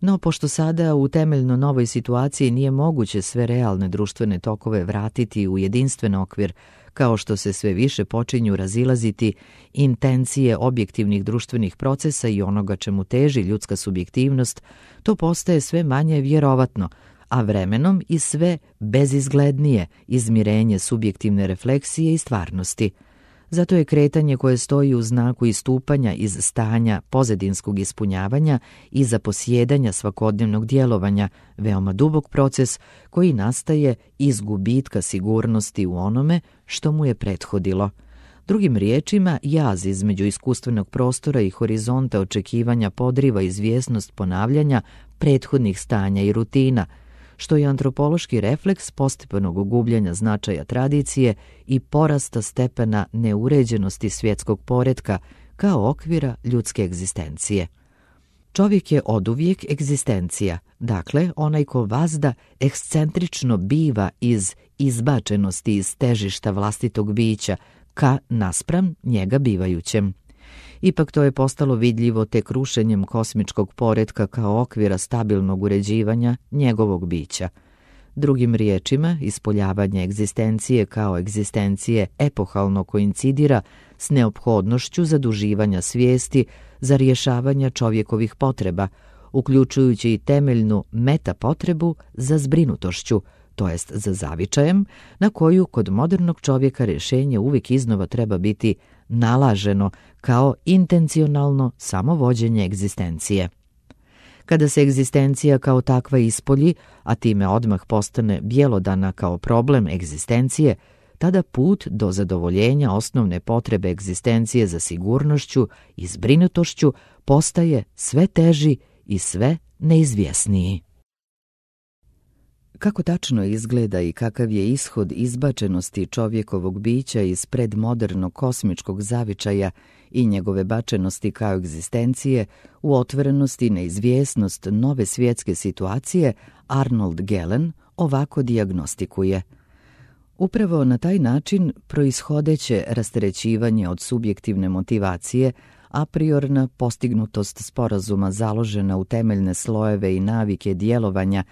No, pošto sada u temeljno novoj situaciji nije moguće sve realne društvene tokove vratiti u jedinstven okvir, kao što se sve više počinju razilaziti intencije objektivnih društvenih procesa i onoga čemu teži ljudska subjektivnost, to postaje sve manje vjerovatno, a vremenom i sve bezizglednije izmirenje subjektivne refleksije i stvarnosti. Zato je kretanje koje stoji u znaku istupanja iz stanja pozadinskog ispunjavanja i zaposjedanja svakodnevnog djelovanja veoma dubok proces koji nastaje iz gubitka sigurnosti u onome što mu je prethodilo. Drugim riječima, jaz između iskustvenog prostora i horizonta očekivanja podriva izvjesnost ponavljanja prethodnih stanja i rutina, što je antropološki refleks postepenog gubljenja značaja tradicije i porasta stepena neuređenosti svjetskog poretka kao okvira ljudske egzistencije. Čovjek je oduvijek egzistencija, dakle onaj ko vazda ekscentrično biva iz izbačenosti iz težišta vlastitog bića ka naspram njega bivajućem. Ipak to je postalo vidljivo tek rušenjem kosmičkog poretka kao okvira stabilnog uređivanja njegovog bića. Drugim riječima, ispoljavanje egzistencije kao egzistencije epohalno koincidira s neophodnošću zaduživanja svijesti za rješavanje čovjekovih potreba, uključujući i temeljnu metapotrebu za zbrinutošću, to jest za zavičajem, na koju kod modernog čovjeka rješenje uvijek iznova treba biti nalaženo kao intencionalno samovođenje egzistencije. Kada se egzistencija kao takva ispolji, a time odmah postane bjelodana kao problem egzistencije, tada put do zadovoljenja osnovne potrebe egzistencije za sigurnošću i zbrinutošću postaje sve teži i sve neizvjesniji. Kako tačno izgleda i kakav je ishod izbačenosti čovjekovog bića iz predmodernog kosmičkog zavičaja i njegove bačenosti kao egzistencije u otvorenosti i neizvjesnost nove svjetske situacije, Arnold Gehlen ovako dijagnostikuje. Upravo na taj način proishodeće rasterećivanje od subjektivne motivacije, a priorna postignutost sporazuma založena u temeljne slojeve i navike djelovanja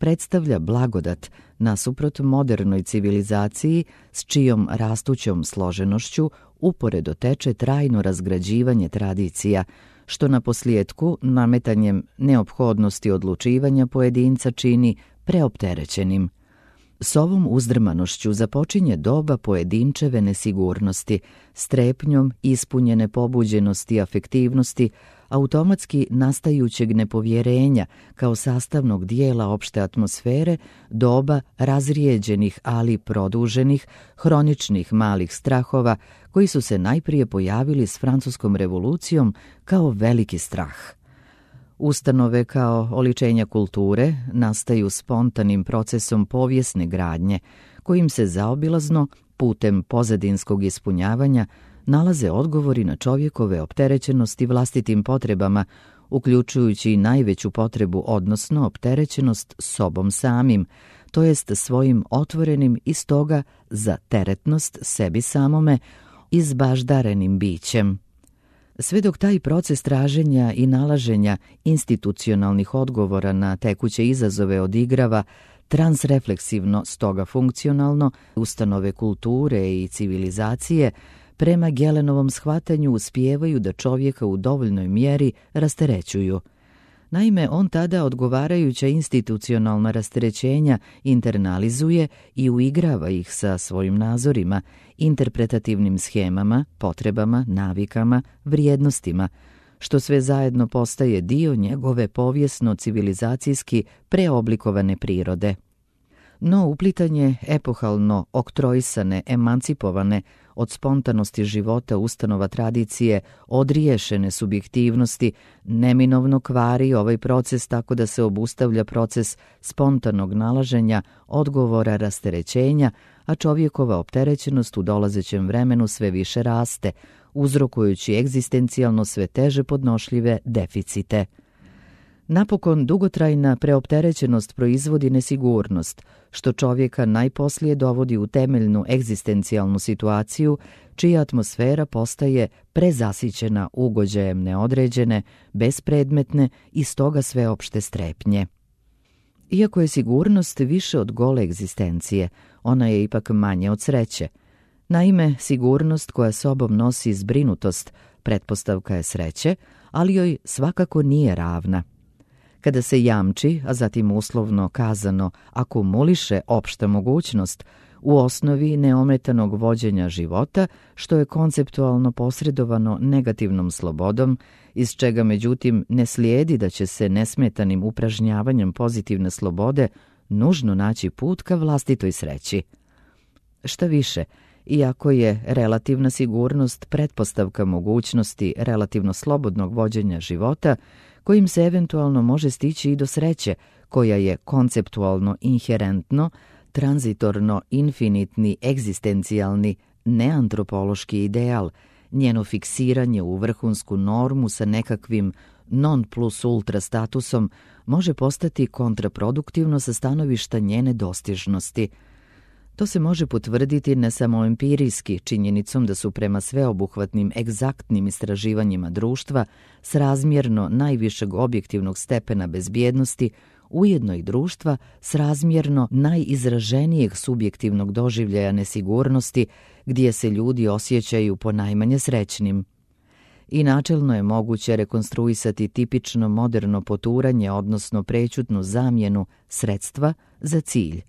predstavlja blagodat nasuprot modernoj civilizaciji s čijom rastućom složenošću uporedo teče trajno razgrađivanje tradicija, što na posljedku nametanjem neophodnosti odlučivanja pojedinca čini preopterećenim. S ovom uzdrmanošću započinje doba pojedinčeve nesigurnosti, strepnjom ispunjene pobuđenosti i afektivnosti, automatski nastajućeg nepovjerenja kao sastavnog dijela opšte atmosfere, doba razrijeđenih ali produženih, hroničnih malih strahova koji su se najprije pojavili s Francuskom revolucijom kao veliki strah. Ustanove kao oličenja kulture nastaju spontanim procesom povijesne gradnje, kojim se zaobilazno, putem pozadinskog ispunjavanja, nalaze odgovori na čovjekove opterećenosti vlastitim potrebama, uključujući i najveću potrebu, odnosno opterećenost sobom samim, to jest svojim otvorenim i stoga za teretnost sebi samome izbaždarenim bićem. Sve dok taj proces traženja i nalaženja institucionalnih odgovora na tekuće izazove odigrava transrefleksivno, stoga funkcionalno, ustanove kulture i civilizacije prema Gelenovom shvatanju uspijevaju da čovjeka u dovoljnoj mjeri rasterećuju. Naime, on tada odgovarajuća institucionalna rasterećenja internalizuje i uigrava ih sa svojim nazorima, interpretativnim shemama, potrebama, navikama, vrijednostima, što sve zajedno postaje dio njegove povijesno-civilizacijski preoblikovane prirode. No uplitanje epohalno oktroisane, emancipovane od spontanosti života ustanova tradicije, odriješene subjektivnosti, neminovno kvari ovaj proces tako da se obustavlja proces spontanog nalaženja, odgovora rasterećenja, a čovjekova opterećenost u dolazećem vremenu sve više raste, uzrokujući egzistencijalno sve teže podnošljive deficite. Napokon, dugotrajna preopterećenost proizvodi nesigurnost, što čovjeka najposlije dovodi u temeljnu egzistencijalnu situaciju, čija atmosfera postaje prezasićena ugođajem neodređene, bespredmetne i stoga sveopšte strepnje. Iako je sigurnost više od gole egzistencije, ona je ipak manje od sreće. Naime, sigurnost koja sobom nosi zbrinutost pretpostavka je sreće, ali joj svakako nije ravna. Kada se jamči, a zatim uslovno kazano akumuliše opšta mogućnost u osnovi neometanog vođenja života, što je konceptualno posredovano negativnom slobodom, iz čega međutim ne slijedi da će se nesmetanim upražnjavanjem pozitivne slobode nužno naći put ka vlastitoj sreći. Šta više, iako je relativna sigurnost pretpostavka mogućnosti relativno slobodnog vođenja života, kojim se eventualno može stići i do sreće, koja je konceptualno inherentno, tranzitorno infinitni egzistencijalni neantropološki ideal, njeno fiksiranje u vrhunsku normu sa nekakvim non plus ultra statusom može postati kontraproduktivno sa stanovišta njene dostižnosti. To se može potvrditi ne samo empirijski, činjenicom da su prema sveobuhvatnim egzaktnim istraživanjima društva srazmjerno najvišeg objektivnog stepena bezbjednosti, ujedno i društva srazmjerno najizraženijeg subjektivnog doživljaja nesigurnosti, gdje se ljudi osjećaju ponajmanje srećnim. I načelno je moguće rekonstruisati tipično moderno poturanje, odnosno prećutnu zamjenu sredstva za cilj.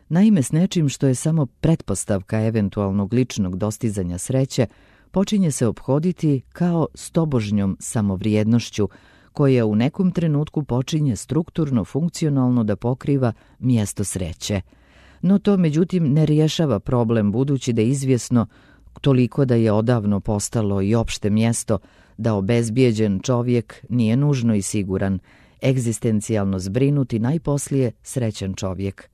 Naime, s nečim što je samo pretpostavka eventualnog ličnog dostizanja sreće, počinje se ophoditi kao s tobožnjom samovrijednošću, koja u nekom trenutku počinje strukturno funkcionalno da pokriva mjesto sreće. No to međutim ne rješava problem, budući da je izvjesno, toliko da je odavno postalo i opšte mjesto, da obezbijeđen čovjek nije nužno i siguran, egzistencijalno zbrinut i najposlije srećan čovjek.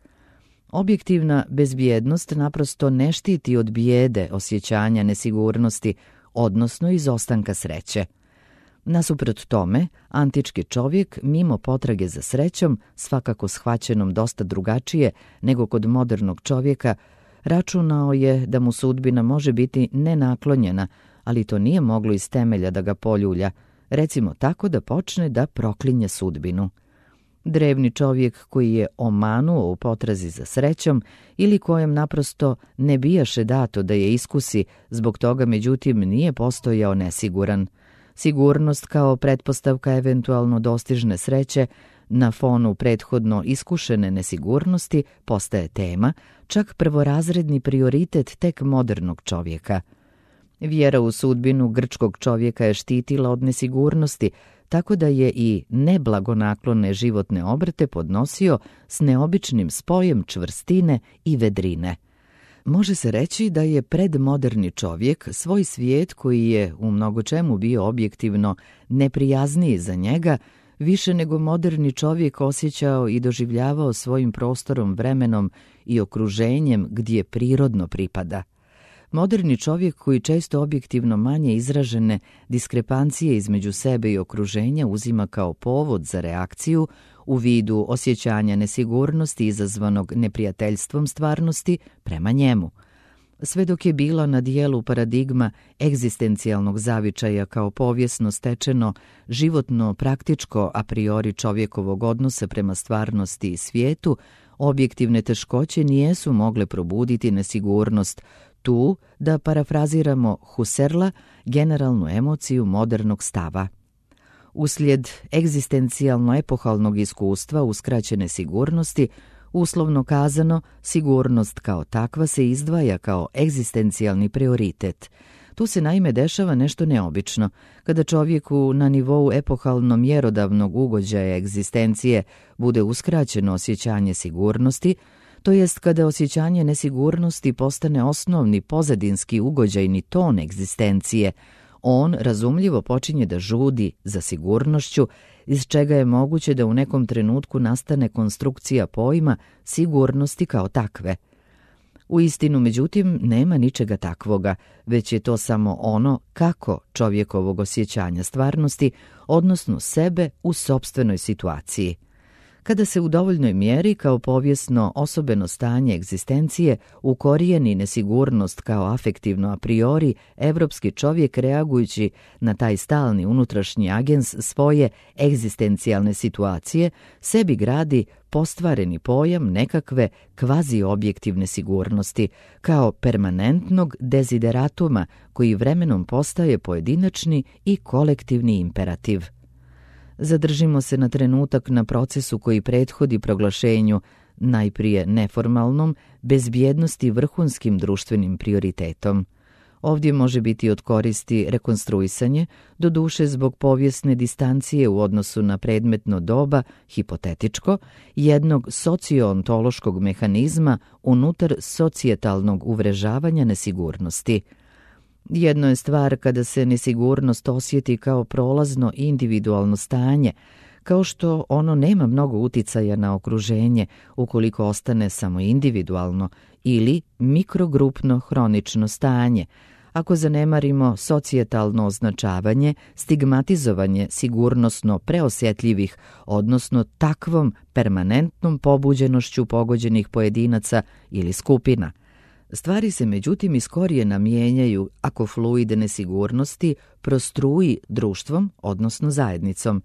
Objektivna bezbjednost naprosto ne štiti od bijede, osjećanja nesigurnosti, odnosno izostanka sreće. Nasuprot tome, antički čovjek, mimo potrage za srećom, svakako shvaćenom dosta drugačije nego kod modernog čovjeka, računao je da mu sudbina može biti nenaklonjena, ali to nije moglo iz temelja da ga poljulja, recimo tako da počne da proklinje sudbinu. Drevni čovjek koji je omanuo u potrazi za srećom ili kojem naprosto ne bijaše dato da je iskusi, zbog toga međutim nije postojao nesiguran. Sigurnost kao pretpostavka eventualno dostižne sreće na fonu prethodno iskušene nesigurnosti postaje tema, čak prvorazredni prioritet tek modernog čovjeka. Vjera u sudbinu grčkog čovjeka je štitila od nesigurnosti, tako da je i neblagonaklone životne obrte podnosio s neobičnim spojem čvrstine i vedrine. Može se reći da je predmoderni čovjek svoj svijet, koji je u mnogočemu bio objektivno neprijazniji za njega, više nego moderni čovjek osjećao i doživljavao svojim prostorom, vremenom i okruženjem gdje prirodno pripada. Moderni čovjek, koji često objektivno manje izražene diskrepancije između sebe i okruženja uzima kao povod za reakciju u vidu osjećanja nesigurnosti izazvanog neprijateljstvom stvarnosti prema njemu. Sve dok je bila na dijelu paradigma egzistencijalnog zavičaja kao povijesno stečeno, životno praktičko a priori čovjekovog odnosa prema stvarnosti i svijetu, objektivne teškoće nijesu mogle probuditi nesigurnost, tu, da parafraziramo Husserla, generalnu emociju modernog stava. Uslijed egzistencijalno-epohalnog iskustva uskraćene sigurnosti, uslovno kazano, sigurnost kao takva se izdvaja kao egzistencijalni prioritet. Tu se naime dešava nešto neobično, kada čovjeku na nivou epohalno mjerodavnog ugođaja egzistencije bude uskraćeno osjećanje sigurnosti, to jest kada osjećanje nesigurnosti postane osnovni pozadinski ugođajni ton egzistencije, on razumljivo počinje da žudi za sigurnošću, iz čega je moguće da u nekom trenutku nastane konstrukcija pojma sigurnosti kao takve. U istinu, međutim, nema ničega takvoga, već je to samo ono kako čovjekovog osjećanja stvarnosti, odnosno sebe u sopstvenoj situaciji. Kada se u dovoljnoj mjeri kao povijesno osobeno stanje egzistencije ukorijeni nesigurnost kao afektivno a priori, evropski čovjek reagujući na taj stalni unutrašnji agens svoje egzistencijalne situacije, sebi gradi postvareni pojam nekakve kvazi-objektivne sigurnosti, kao permanentnog dezideratuma koji vremenom postaje pojedinačni i kolektivni imperativ. Zadržimo se na trenutak na procesu koji prethodi proglašenju, najprije neformalnom, bezbjednosti vrhunskim društvenim prioritetom. Ovdje može biti od koristi rekonstruisanje, doduše zbog povijesne distancije u odnosu na predmetno doba, hipotetičko, jednog socioontološkog mehanizma unutar socijetalnog uvrežavanja nesigurnosti. Jedno je stvar kada se nesigurnost osjeti kao prolazno individualno stanje, kao što ono nema mnogo uticaja na okruženje ukoliko ostane samo individualno, ili mikrogrupno hronično stanje, ako zanemarimo socijetalno označavanje, stigmatizovanje sigurnosno preosjetljivih, odnosno takvom permanentnom pobuđenošću pogođenih pojedinaca ili skupina. Stvari se međutim iz korijena mijenjaju ako fluid nesigurnosti prostruji društvom, odnosno zajednicom.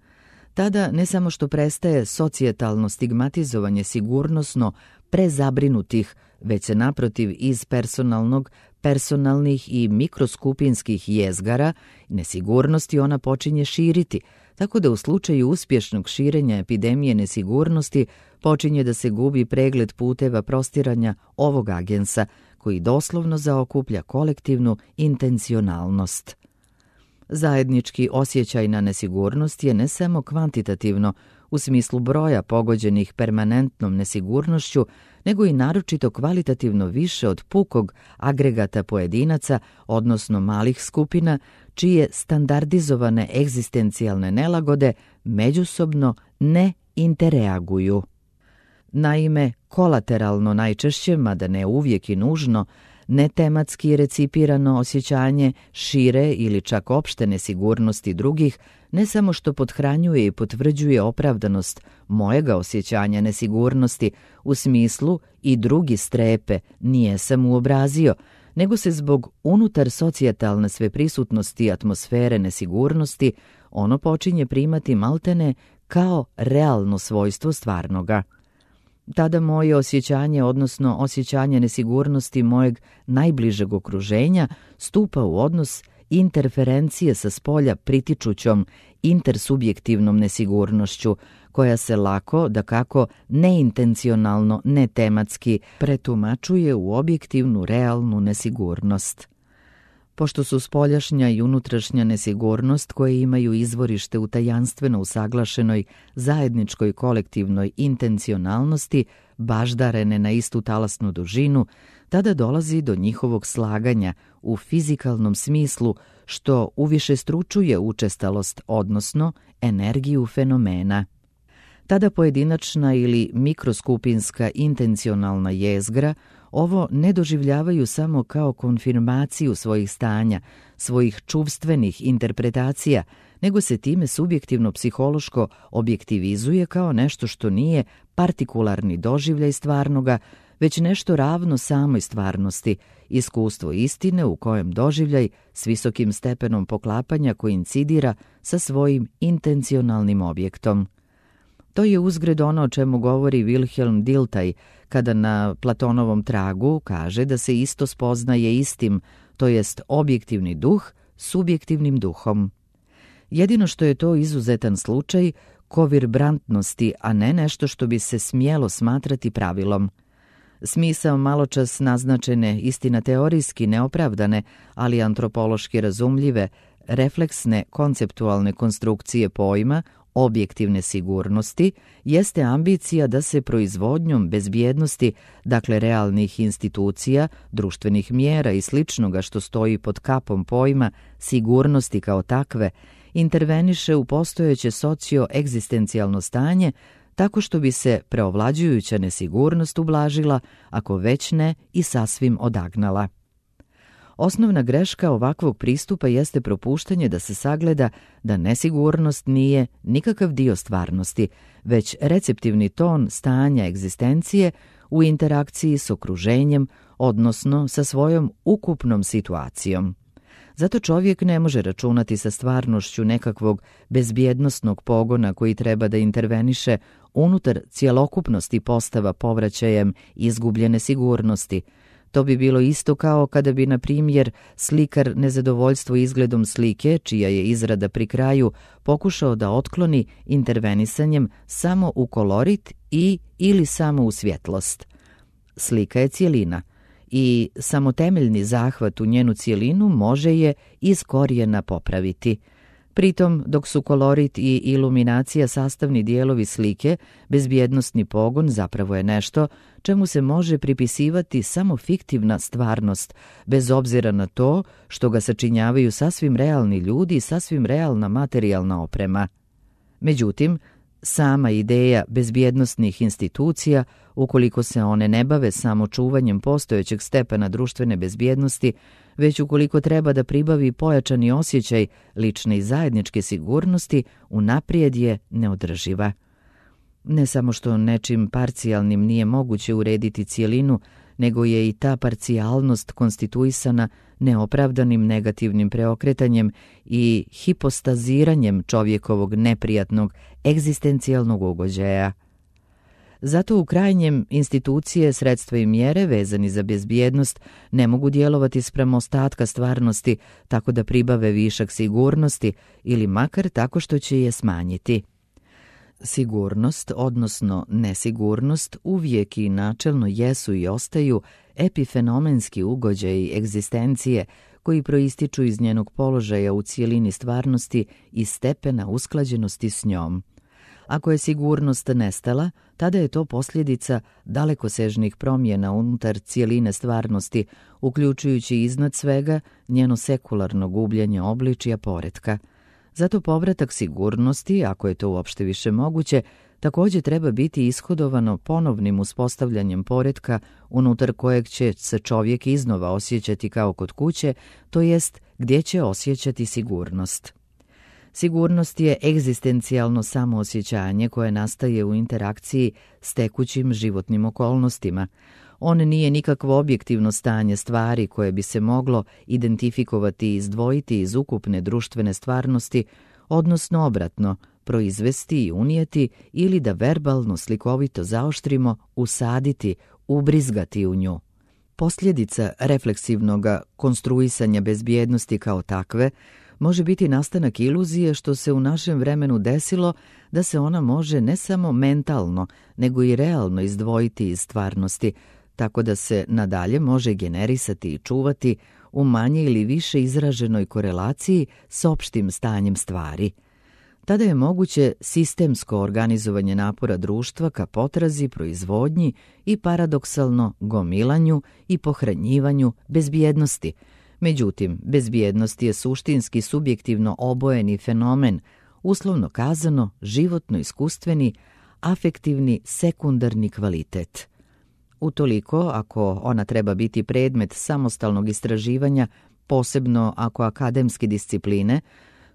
Tada ne samo što prestaje socijetalno stigmatizovanje sigurnosno prezabrinutih, već se naprotiv iz personalnog, personalnih i mikroskupinskih jezgara nesigurnosti ona počinje širiti, tako da u slučaju uspješnog širenja epidemije nesigurnosti počinje da se gubi pregled puteva prostiranja ovog agensa, koji doslovno zaokuplja kolektivnu intencionalnost. Zajednički osjećaj na nesigurnost je ne samo kvantitativno, u smislu broja pogođenih permanentnom nesigurnošću, nego i naročito kvalitativno više od pukog agregata pojedinaca, odnosno malih skupina, čije standardizovane egzistencijalne nelagode međusobno ne interreaguju. Naime, kolateralno najčešće, mada ne uvijek i nužno, netematski recipirano osjećanje šire ili čak opšte nesigurnosti drugih ne samo što pothranjuje i potvrđuje opravdanost mojega osjećanja nesigurnosti u smislu i drugi strepe nije sam uobrazio, nego se zbog unutar socijetalne sveprisutnosti atmosfere nesigurnosti ono počinje primati maltene kao realno svojstvo stvarnoga. Tada moje osjećanje, odnosno osjećanje nesigurnosti mojeg najbližeg okruženja, stupa u odnos interferencije sa spolja pritičućom intersubjektivnom nesigurnošću, koja se lako, dakako neintencionalno, netematski pretumačuje u objektivnu realnu nesigurnost. Pošto su spoljašnja i unutrašnja nesigurnost koje imaju izvorište u tajanstveno usaglašenoj zajedničkoj kolektivnoj intencionalnosti baždarene na istu talasnu dužinu, tada dolazi do njihovog slaganja u fizikalnom smislu, što uvišestručuje učestalost, odnosno energiju fenomena. Tada pojedinačna ili mikroskupinska intencionalna jezgra ovo ne doživljavaju samo kao konfirmaciju svojih stanja, svojih čuvstvenih interpretacija, nego se time subjektivno psihološko objektivizuje kao nešto što nije partikularni doživljaj stvarnoga, već nešto ravno samoj stvarnosti, iskustvo istine u kojem doživljaj s visokim stepenom poklapanja koincidira sa svojim intencionalnim objektom. To je uzgred ono o čemu govori Wilhelm Dilthey kada na Platonovom tragu kaže da se isto spoznaje istim, to jest objektivni duh subjektivnim duhom. Jedino što je to izuzetan slučaj kovibrantnosti, a ne nešto što bi se smjelo smatrati pravilom. Smisao maločas naznačene, istina teorijski neopravdane, ali antropološki razumljive, refleksne konceptualne konstrukcije pojma objektivne sigurnosti jeste ambicija da se proizvodnjom bezbjednosti, dakle realnih institucija, društvenih mjera i sličnoga što stoji pod kapom pojma sigurnosti kao takve, interveniše u postojeće socio-egzistencijalno stanje tako što bi se preovlađujuća nesigurnost ublažila, ako već ne i sasvim odagnala. Osnovna greška ovakvog pristupa jeste propuštanje da se sagleda da nesigurnost nije nikakav dio stvarnosti, već receptivni ton stanja egzistencije u interakciji s okruženjem, odnosno sa svojom ukupnom situacijom. Zato čovjek ne može računati sa stvarnošću nekakvog bezbjednosnog pogona koji treba da interveniše unutar cjelokupnosti postava povraćajem izgubljene sigurnosti. To bi bilo isto kao kada bi, na primjer, slikar nezadovoljstvo izgledom slike, čija je izrada pri kraju, pokušao da otkloni intervenisanjem samo u kolorit i ili samo u svjetlost. Slika je cjelina i samo temeljni zahvat u njenu cjelinu može je iz korijena popraviti. Pritom, dok su kolorit i iluminacija sastavni dijelovi slike, bezbjednosni pogon zapravo je nešto čemu se može pripisivati samo fiktivna stvarnost, bez obzira na to što ga sačinjavaju sasvim realni ljudi i sasvim realna materijalna oprema. Međutim, sama ideja bezbjednosnih institucija, ukoliko se one ne bave samo čuvanjem postojećeg stepena društvene bezbjednosti, već ukoliko treba da pribavi pojačani osjećaj lične i zajedničke sigurnosti, unaprijed je neodrživa. Ne samo što nečim parcijalnim nije moguće urediti cjelinu, nego je i ta parcijalnost konstituisana neopravdanim negativnim preokretanjem i hipostaziranjem čovjekovog neprijatnog egzistencijalnog ugođaja. Zato u krajnjem institucije, sredstva i mjere vezani za bezbjednost ne mogu djelovati spram ostatka stvarnosti tako da pribave višak sigurnosti ili makar tako što će je smanjiti. Sigurnost, odnosno nesigurnost, uvijek i načelno jesu i ostaju epifenomenski ugođaji egzistencije koji proističu iz njenog položaja u cijelini stvarnosti i stepena usklađenosti s njom. Ako je sigurnost nestala, tada je to posljedica dalekosežnih promjena unutar cijeline stvarnosti, uključujući iznad svega njeno sekularno gubljenje obličja poretka. Zato povratak sigurnosti, ako je to uopšte više moguće, također treba biti ishodovano ponovnim uspostavljanjem poretka unutar kojeg će se čovjek iznova osjećati kao kod kuće, to jest gdje će osjećati sigurnost. Sigurnost je egzistencijalno samoosjećanje koje nastaje u interakciji s tekućim životnim okolnostima. On nije nikakvo objektivno stanje stvari koje bi se moglo identifikovati i izdvojiti iz ukupne društvene stvarnosti, odnosno obratno, proizvesti i unijeti ili da verbalno slikovito zaoštrimo, usaditi, ubrizgati u nju. Posljedica refleksivnog konstruisanja bezbjednosti kao takve može biti nastanak iluzije što se u našem vremenu desilo da se ona može ne samo mentalno, nego i realno izdvojiti iz stvarnosti, tako da se nadalje može generisati i čuvati u manje ili više izraženoj korelaciji s opštim stanjem stvari. Tada je moguće sistemsko organizovanje napora društva ka potrazi, proizvodnji i paradoksalno gomilanju i pohranjivanju bezbjednosti. Međutim, bezbjednost je suštinski subjektivno obojeni fenomen, uslovno kazano životno-iskustveni, afektivni sekundarni kvalitet. Utoliko, ako ona treba biti predmet samostalnog istraživanja, posebno ako akademske discipline,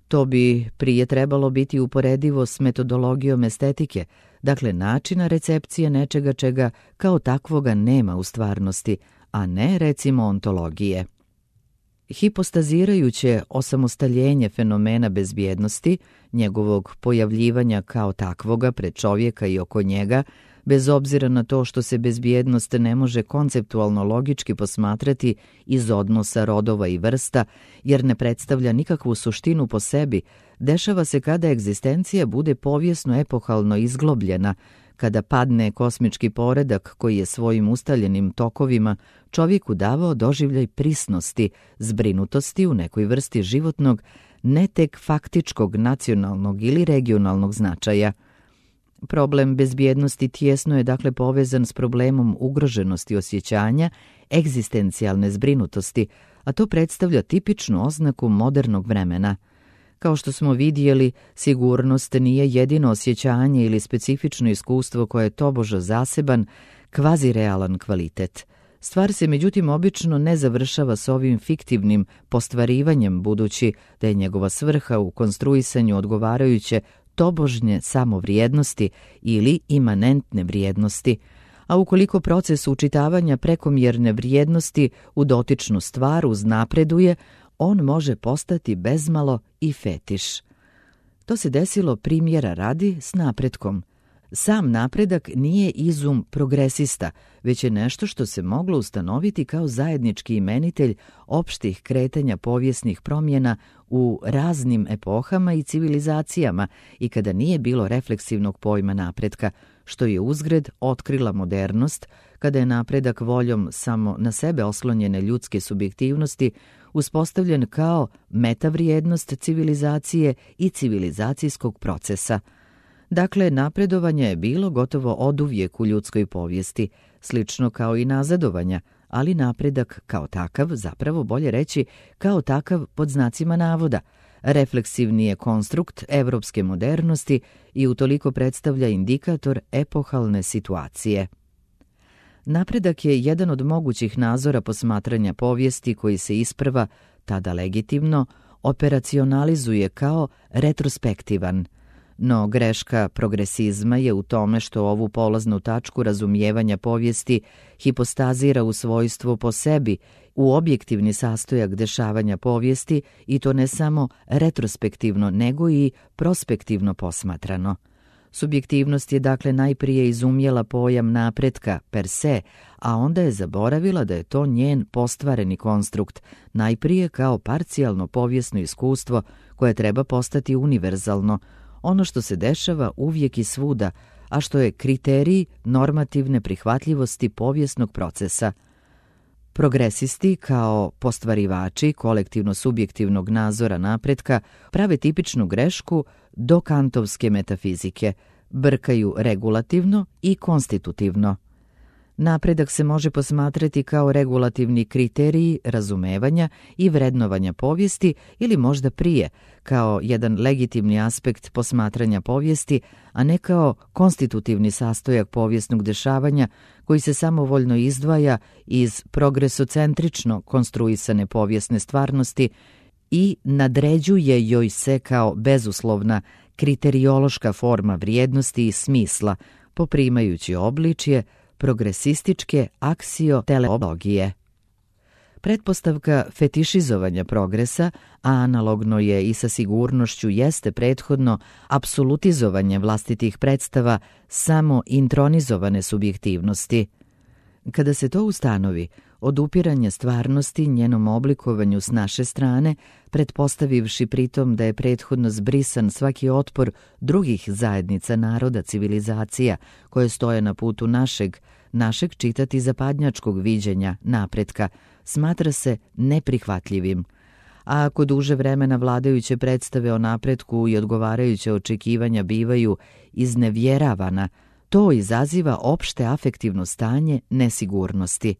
to bi prije trebalo biti uporedivo s metodologijom estetike, dakle načina recepcije nečega čega kao takvoga nema u stvarnosti, a ne recimo ontologije. Hipostazirajuće osamostaljenje fenomena bezbjednosti, njegovog pojavljivanja kao takvoga pred čovjeka i oko njega, bez obzira na to što se bezbjednost ne može konceptualno logički posmatrati iz odnosa rodova i vrsta, jer ne predstavlja nikakvu suštinu po sebi, dešava se kada egzistencija bude povijesno epohalno izglobljena, kada padne kosmički poredak koji je svojim ustaljenim tokovima čovjeku davao doživljaj prisnosti, zbrinutosti u nekoj vrsti životnog, ne tek faktičkog nacionalnog ili regionalnog značaja. Problem bezbjednosti tijesno je dakle povezan s problemom ugroženosti osjećanja, egzistencijalne zbrinutosti, a to predstavlja tipičnu oznaku modernog vremena. Kao što smo vidjeli, sigurnost nije jedino osjećanje ili specifično iskustvo koje je tobože zaseban, kvazirealan kvalitet. Stvar se međutim obično ne završava s ovim fiktivnim postvarivanjem, budući da je njegova svrha u konstruisanju odgovarajuće tobožnje samovrijednosti ili imanentne vrijednosti, a ukoliko proces učitavanja prekomjerne vrijednosti u dotičnu stvar uznapreduje, on može postati bezmalo i fetiš. To se desilo primjera radi s napretkom. Sam napredak nije izum progresista, već je nešto što se moglo ustanoviti kao zajednički imenitelj opštih kretanja povijesnih promjena u raznim epohama i civilizacijama i kada nije bilo refleksivnog pojma napretka, što je uzgred otkrila modernost, kada je napredak voljom samo na sebe oslonjene ljudske subjektivnosti uspostavljen kao metavrijednost civilizacije i civilizacijskog procesa. Dakle, napredovanje je bilo gotovo oduvijek u ljudskoj povijesti, slično kao i nazadovanja, ali napredak kao takav, zapravo bolje reći kao takav pod znacima navoda, refleksivni je konstrukt evropske modernosti i utoliko predstavlja indikator epohalne situacije. Napredak je jedan od mogućih nazora posmatranja povijesti koji se isprva, tada legitimno, operacionalizuje kao retrospektivan. No greška progresizma je u tome što ovu polaznu tačku razumijevanja povijesti hipostazira u svojstvu po sebi, u objektivni sastojak dešavanja povijesti i to ne samo retrospektivno, nego i prospektivno posmatrano. Subjektivnost je dakle najprije izumjela pojam napretka per se, a onda je zaboravila da je to njen postvareni konstrukt, najprije kao parcijalno povijesno iskustvo koje treba postati univerzalno, ono što se dešava uvijek i svuda, a što je kriterij normativne prihvatljivosti povijesnog procesa. Progresisti, kao postvarivači kolektivno-subjektivnog nazora napretka, prave tipičnu grešku do kantovske metafizike, brkaju regulativno i konstitutivno. Napredak se može posmatrati kao regulativni kriterij razumevanja i vrednovanja povijesti ili možda prije, kao jedan legitimni aspekt posmatranja povijesti, a ne kao konstitutivni sastojak povijesnog dešavanja koji se samovoljno izdvaja iz progresocentrično konstruisane povijesne stvarnosti i nadređuje joj se kao bezuslovna kriteriološka forma vrijednosti i smisla, poprimajući obličje progresističke aksioteleologije. Pretpostavka fetišizovanja progresa, a analogno je i sa sigurnošću, jeste prethodno apsolutizovanje vlastitih predstava samo intronizovane subjektivnosti. Kada se to ustanovi, odupiranje stvarnosti njenom oblikovanju s naše strane, pretpostavivši pritom da je prethodno zbrisan svaki otpor drugih zajednica naroda, civilizacija koje stoje na putu našeg, našeg čitati zapadnjačkog viđenja napretka, smatra se neprihvatljivim. A ako duže vremena vladajuće predstave o napretku i odgovarajuće očekivanja bivaju iznevjeravana, to izaziva opšte afektivno stanje nesigurnosti.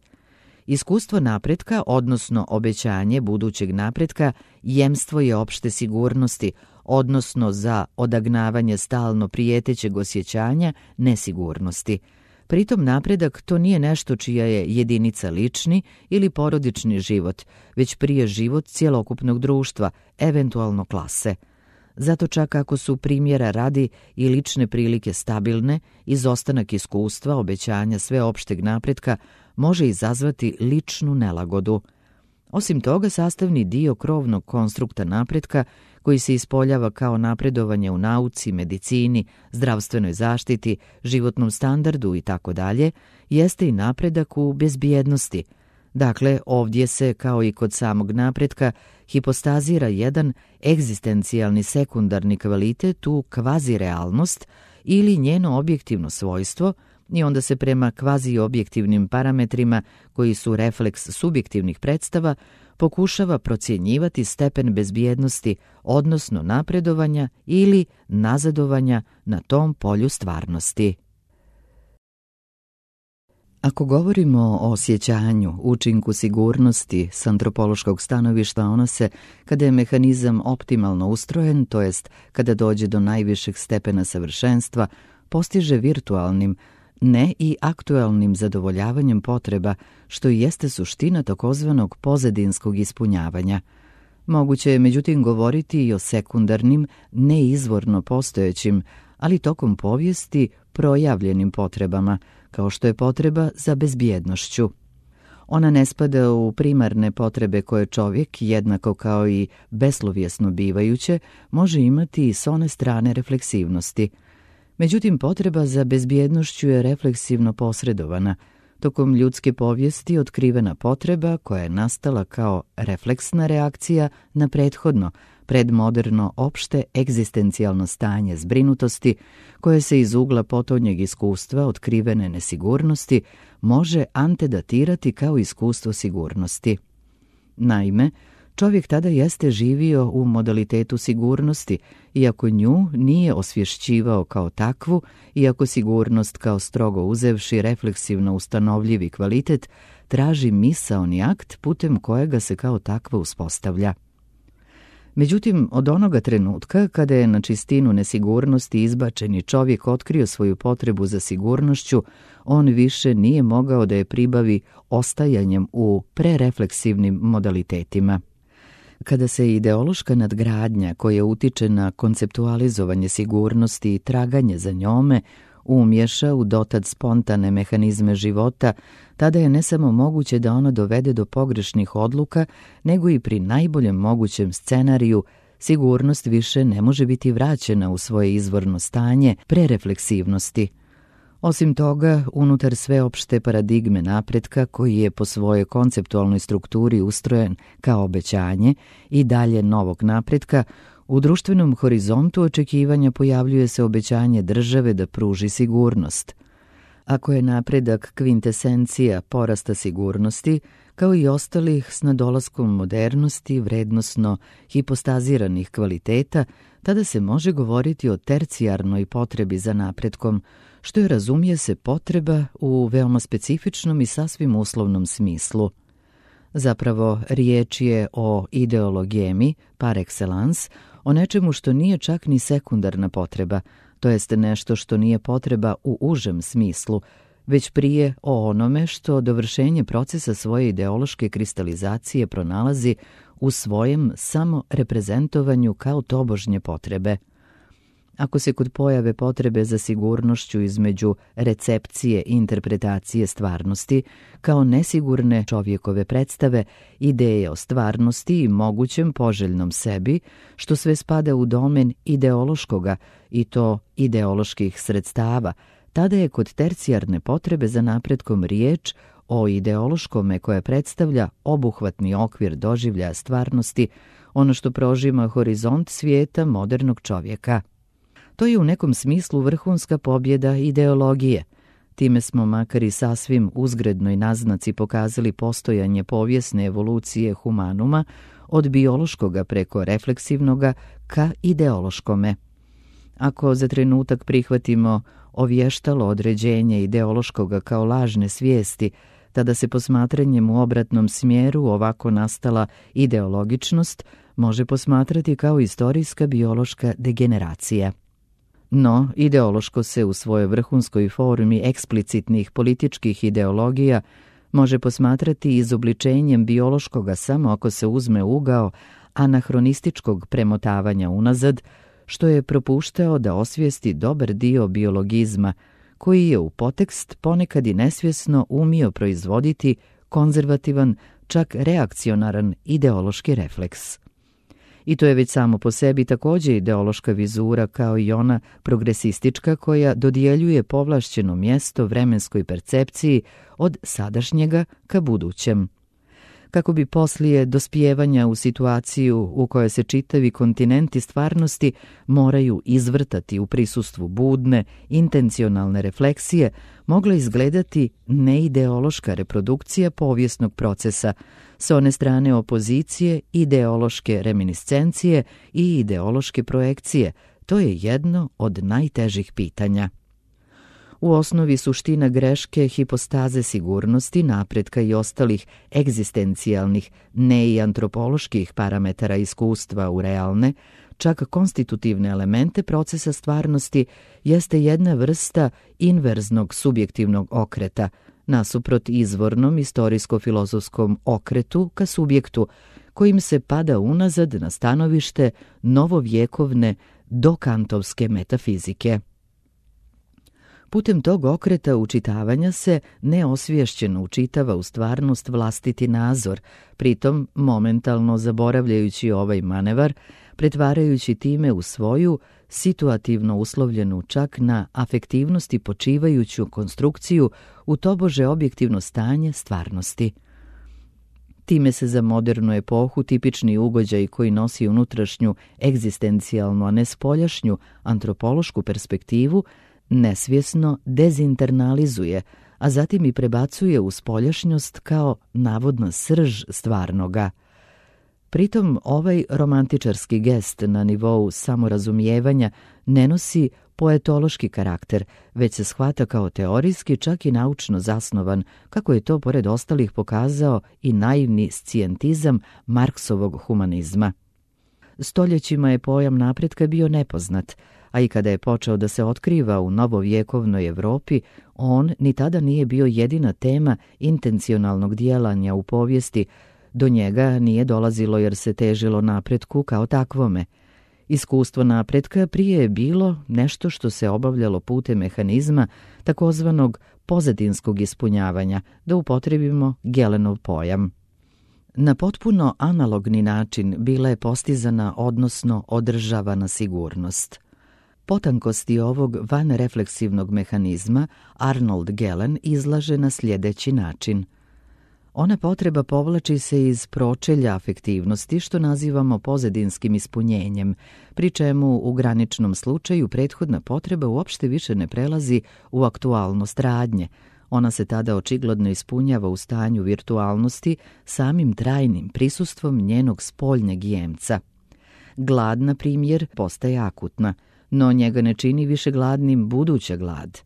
Iskustvo napretka, odnosno obećanje budućeg napretka, jemstvo je opšte sigurnosti, odnosno za odagnavanje stalno prijetećeg osjećanja nesigurnosti. Pritom napredak to nije nešto čija je jedinica lični ili porodični život, već prije život cjelokupnog društva, eventualno klase. Zato čak ako su primjera radi i lične prilike stabilne, izostanak iskustva, obećanja sveopšteg napretka može izazvati ličnu nelagodu. Osim toga, sastavni dio krovnog konstrukta napretka, koji se ispoljava kao napredovanje u nauci, medicini, zdravstvenoj zaštiti, životnom standardu itd., jeste i napredak u bezbjednosti. Dakle, ovdje se, kao i kod samog napretka, hipostazira jedan egzistencijalni sekundarni kvalitet u kvazirealnost ili njeno objektivno svojstvo, i onda se prema kvaziobjektivnim parametrima, koji su refleks subjektivnih predstava, pokušava procjenjivati stepen bezbjednosti, odnosno napredovanja ili nazadovanja na tom polju stvarnosti. Ako govorimo o osjećanju, učinku sigurnosti s antropološkog stanovišta, ona se, kada je mehanizam optimalno ustrojen, to jest kada dođe do najvišeg stepena savršenstva, postiže virtualnim, ne i aktualnim zadovoljavanjem potreba, što i jeste suština takozvanog pozadinskog ispunjavanja. Moguće je međutim govoriti i o sekundarnim, neizvorno postojećim, ali tokom povijesti projavljenim potrebama, kao što je potreba za bezbjednošću. Ona ne spada u primarne potrebe koje čovjek, jednako kao i beslovjesno bivajuće, može imati i s one strane refleksivnosti. Međutim, potreba za bezbjednošću je refleksivno posredovana. Tokom ljudske povijesti otkrivena potreba koja je nastala kao refleksna reakcija na prethodno, predmoderno opšte egzistencijalno stanje zbrinutosti koje se iz ugla potonjeg iskustva otkrivene nesigurnosti može antedatirati kao iskustvo sigurnosti. Naime, čovjek tada jeste živio u modalitetu sigurnosti, iako nju nije osvješćivao kao takvu, iako sigurnost kao strogo uzevši refleksivno ustanovljivi kvalitet traži misaoni akt putem kojega se kao takva uspostavlja. Međutim, od onoga trenutka kada je na čistinu nesigurnosti izbačeni čovjek otkrio svoju potrebu za sigurnošću, on više nije mogao da je pribavi ostajanjem u prerefleksivnim modalitetima. Kada se ideološka nadgradnja koja utiče na konceptualizovanje sigurnosti i traganje za njome umješa u dotad spontane mehanizme života, tada je ne samo moguće da ono dovede do pogrešnih odluka, nego i pri najboljem mogućem scenariju sigurnost više ne može biti vraćena u svoje izvorno stanje prerefleksivnosti. Osim toga, unutar sveopšte paradigme napretka, koji je po svojoj konceptualnoj strukturi ustrojen kao obećanje i dalje novog napretka, u društvenom horizontu očekivanja pojavljuje se obećanje države da pruži sigurnost. Ako je napredak kvintesencija porasta sigurnosti, kao i ostalih s nadolaskom modernosti vrednosno hipostaziranih kvaliteta, tada se može govoriti o tercijarnoj potrebi za napretkom, što je, razumije se, potreba u veoma specifičnom i sasvim uslovnom smislu. Zapravo, riječ je o ideologemi par excellence, o nečemu što nije čak ni sekundarna potreba, to jest nešto što nije potreba u užem smislu, već prije o onome što dovršenje procesa svoje ideološke kristalizacije pronalazi u svojem samo reprezentovanju kao tobožnje potrebe. Ako se kod pojave potrebe za sigurnošću između recepcije i interpretacije stvarnosti, kao nesigurne čovjekove predstave, ideje o stvarnosti i mogućem poželjnom sebi, što sve spada u domen ideološkoga i to ideoloških sredstava, tada je kod tercijarne potrebe za napretkom riječ o ideološkome koje predstavlja obuhvatni okvir doživljaja stvarnosti, ono što prožima horizont svijeta modernog čovjeka. To je u nekom smislu vrhunska pobjeda ideologije. Time smo makar i sasvim uzgrednoj naznaci pokazali postojanje povijesne evolucije humanuma od biološkoga preko refleksivnoga ka ideološkome. Ako za trenutak prihvatimo ovještalo određenje ideološkoga kao lažne svijesti, tada se posmatranjem u obratnom smjeru ovako nastala ideologičnost može posmatrati kao istorijska biološka degeneracija. No, ideološko se u svojoj vrhunskoj formi eksplicitnih političkih ideologija može posmatrati izobličenjem biološkoga samo ako se uzme ugao anahronističkog premotavanja unazad, što je propuštao da osvijesti dobar dio biologizma, koji je u potekst ponekad i nesvjesno umio proizvoditi konzervativan, čak reakcionaran ideološki refleks. I to je već samo po sebi također ideološka vizura kao i ona progresistička koja dodjeljuje povlašćeno mjesto vremenskoj percepciji od sadašnjega ka budućem. Kako bi poslije dospijevanja u situaciju u kojoj se čitavi kontinenti stvarnosti moraju izvrtati u prisustvu budne, intencionalne refleksije, mogla izgledati neideološka reprodukcija povijesnog procesa, s one strane opozicije, ideološke reminiscencije i ideološke projekcije. To je jedno od najtežih pitanja. U osnovi suština greške hipostaze sigurnosti, napretka i ostalih egzistencijalnih, ne i antropoloških parametara iskustva u realne, čak konstitutivne elemente procesa stvarnosti, jeste jedna vrsta inverznog subjektivnog okreta, nasuprot izvornom istorijsko-filozofskom okretu ka subjektu, kojim se pada unazad na stanovište novovjekovne dokantovske metafizike. Putem tog okreta učitavanja se neosvješćeno učitava u stvarnost vlastiti nazor, pritom momentalno zaboravljajući ovaj manevar, pretvarajući time u svoju situativno uslovljenu čak na afektivnosti počivajuću konstrukciju u tobože objektivno stanje stvarnosti. Time se za modernu epohu tipični ugođaj koji nosi unutrašnju egzistencijalnu, a ne spoljašnju antropološku perspektivu, nesvjesno dezinternalizuje, a zatim i prebacuje u spoljašnjost kao navodna srž stvarnoga. Pritom ovaj romantičarski gest na nivou samorazumijevanja ne nosi poetološki karakter, već se shvata kao teorijski, čak i naučno zasnovan, kako je to pored ostalih pokazao i naivni scijentizam Marksovog humanizma. Stoljećima je pojam napretka bio nepoznat, a i kada je počeo da se otkriva u novovjekovnoj Evropi, on ni tada nije bio jedina tema intencionalnog djelanja u povijesti. Do njega nije dolazilo jer se težilo napretku kao takvome. Iskustvo napretka prije je bilo nešto što se obavljalo putem mehanizma takozvanog pozadinskog ispunjavanja, da upotrebimo Gelenov pojam. Na potpuno analogni način bila je postizana, odnosno održavana sigurnost. Potankosti ovog vanrefleksivnog mehanizma Arnold Gelen izlaže na sljedeći način. Ona potreba povlači se iz pročelja afektivnosti, što nazivamo pozadinskim ispunjenjem, pri čemu u graničnom slučaju prethodna potreba uopšte više ne prelazi u aktualnost radnje. Ona se tada očigledno ispunjava u stanju virtualnosti samim trajnim prisustvom njenog spoljnjeg jemca. Glad, na primjer, postaje akutna, no njega ne čini više gladnim buduća glad.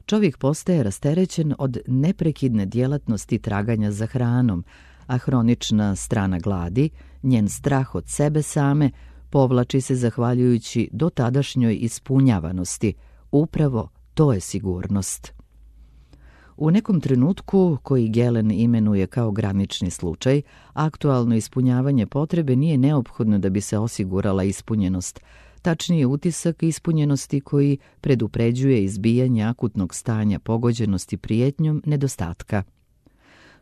Čovjek postaje rasterećen od neprekidne djelatnosti traganja za hranom, a hronična strana gladi, njen strah od sebe same, povlači se zahvaljujući dotadašnjoj ispunjavanosti. Upravo to je sigurnost. U nekom trenutku, koji Gelen imenuje kao granični slučaj, aktualno ispunjavanje potrebe nije neophodno da bi se osigurala ispunjenost, tačnije utisak ispunjenosti koji predupređuje izbijanje akutnog stanja pogođenosti prijetnjom nedostatka.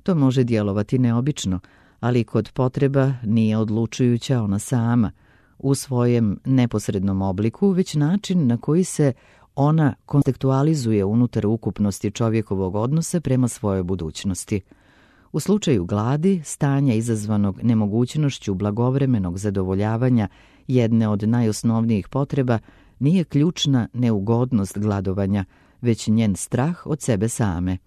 To može djelovati neobično, ali kod potreba nije odlučujuća ona sama, u svojem neposrednom obliku, već način na koji se ona kontekstualizuje unutar ukupnosti čovjekovog odnosa prema svojoj budućnosti. U slučaju gladi, stanja izazvanog nemogućnošću blagovremenog zadovoljavanja jedne od najosnovnijih potreba, nije ključna neugodnost gladovanja, već njen strah od sebe same.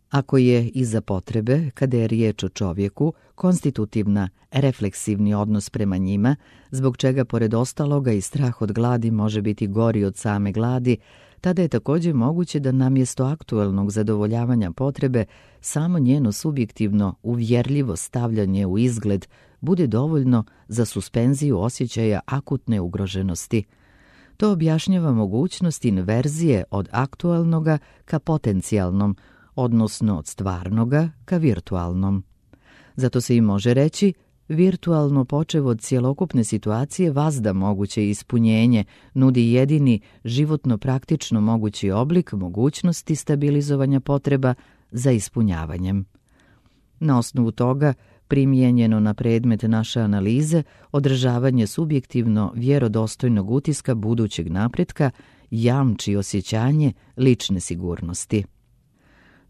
Ako je iza potrebe, kada je riječ o čovjeku, konstitutivna, refleksivni odnos prema njima, zbog čega pored ostaloga i strah od gladi može biti gori od same gladi, tada je također moguće da namjesto aktualnog zadovoljavanja potrebe samo njeno subjektivno uvjerljivo stavljanje u izgled bude dovoljno za suspenziju osjećaja akutne ugroženosti. To objašnjava mogućnost inverzije od aktualnoga ka potencijalnom, odnosno od stvarnoga ka virtualnom. Zato se i može reći, virtualno počev od cjelokupne situacije vazda moguće ispunjenje, nudi jedini životno praktično mogući oblik mogućnosti stabilizovanja potreba za ispunjavanjem. Na osnovu toga, primijenjeno na predmet naše analize, održavanje subjektivno vjerodostojnog utiska budućeg napretka jamči osjećanje lične sigurnosti.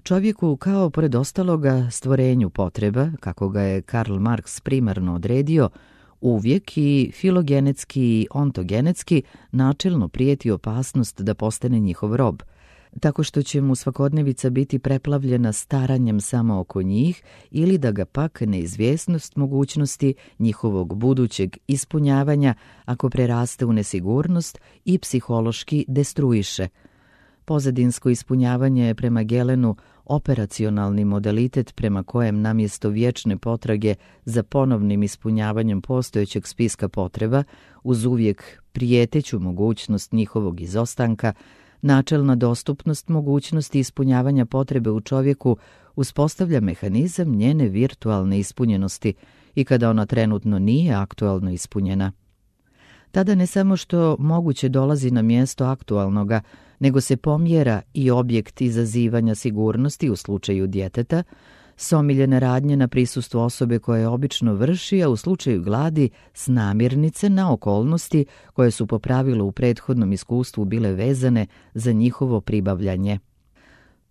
Čovjeku, kao pored ostaloga stvorenju potreba, kako ga je Karl Marx primarno odredio, uvijek i filogenetski i ontogenetski načelno prijeti opasnost da postane njihov rob, tako što će mu svakodnevica biti preplavljena staranjem samo oko njih ili da ga pak neizvjesnost mogućnosti njihovog budućeg ispunjavanja, ako preraste u nesigurnost, i psihološki destruiše. Pozadinsko ispunjavanje je prema Gelenu operacionalni modalitet prema kojem namjesto vječne potrage za ponovnim ispunjavanjem postojećeg spiska potreba, uz uvijek prijeteću mogućnost njihovog izostanka, načelna dostupnost mogućnosti ispunjavanja potrebe u čovjeku uspostavlja mehanizam njene virtualne ispunjenosti i kada ona trenutno nije aktualno ispunjena. Tada ne samo što moguće dolazi na mjesto aktualnoga, nego se pomjera i objekt izazivanja sigurnosti u slučaju djeteta, s omiljene radnje na prisustvo osobe koja je obično vrši, a u slučaju gladi s namirnice na okolnosti koje su po pravilu u prethodnom iskustvu bile vezane za njihovo pribavljanje.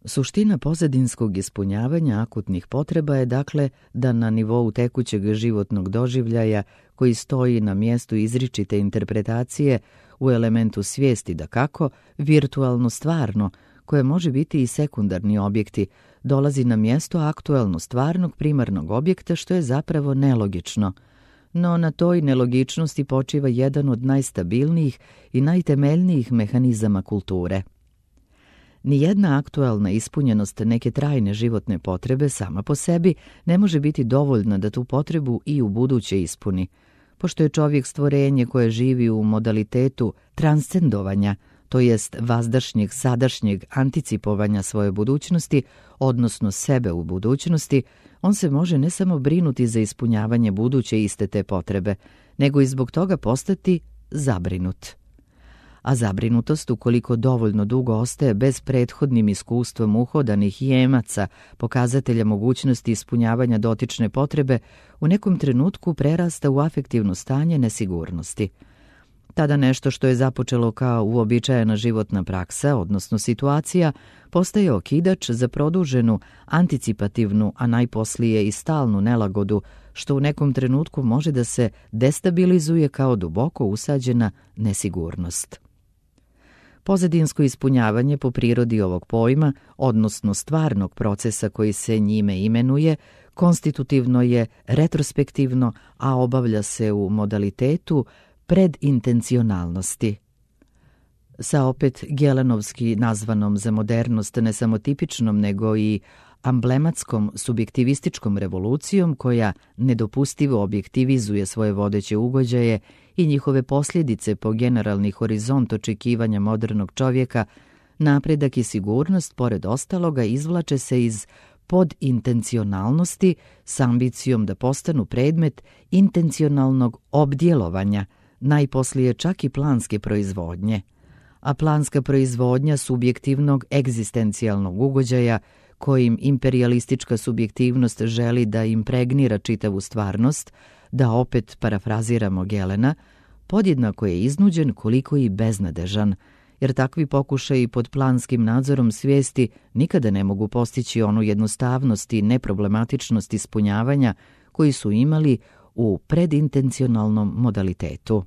Suština pozadinskog ispunjavanja akutnih potreba je dakle da na nivou tekućeg životnog doživljaja koji stoji na mjestu izričite interpretacije u elementu svijesti dakako, virtualno stvarno, koje može biti i sekundarni objekti, dolazi na mjesto aktualno stvarnog primarnog objekta što je zapravo nelogično. No na toj nelogičnosti počiva jedan od najstabilnijih i najtemeljnijih mehanizama kulture. Nijedna aktualna ispunjenost neke trajne životne potrebe sama po sebi ne može biti dovoljna da tu potrebu i u buduće ispuni. Pošto je čovjek stvorenje koje živi u modalitetu transcendovanja, to jest vazdašnjeg sadašnjeg anticipovanja svoje budućnosti, odnosno sebe u budućnosti, on se može ne samo brinuti za ispunjavanje buduće iste te potrebe, nego i zbog toga postati zabrinut. A zabrinutost, ukoliko dovoljno dugo ostaje bez prethodnim iskustvom uhodanih jemaca, pokazatelja mogućnosti ispunjavanja dotične potrebe, u nekom trenutku prerasta u afektivno stanje nesigurnosti. Tada nešto što je započelo kao uobičajena životna praksa, odnosno situacija, postaje okidač za produženu, anticipativnu, a najposlije i stalnu nelagodu, što u nekom trenutku može da se destabilizuje kao duboko usađena nesigurnost. Pozadinsko ispunjavanje po prirodi ovog pojma, odnosno stvarnog procesa koji se njime imenuje, konstitutivno je retrospektivno, a obavlja se u modalitetu predintencionalnosti. Sa opet gelenovski nazvanom za modernost ne samo tipičnom nego i amblematskom subjektivističkom revolucijom koja nedopustivo objektivizuje svoje vodeće ugođaje i njihove posljedice po generalni horizont očekivanja modernog čovjeka, napredak i sigurnost, pored ostaloga, izvlače se iz podintencionalnosti s ambicijom da postanu predmet intencionalnog obdjelovanja, najposlije čak i planske proizvodnje. A planska proizvodnja subjektivnog egzistencijalnog ugođaja kojim imperijalistička subjektivnost želi da impregnira čitavu stvarnost, da opet parafraziramo Gelena, podjednako je iznuđen koliko i beznadežan, jer takvi pokušaji pod planskim nadzorom svijesti nikada ne mogu postići onu jednostavnost i neproblematičnost ispunjavanja koji su imali u predintencionalnom modalitetu.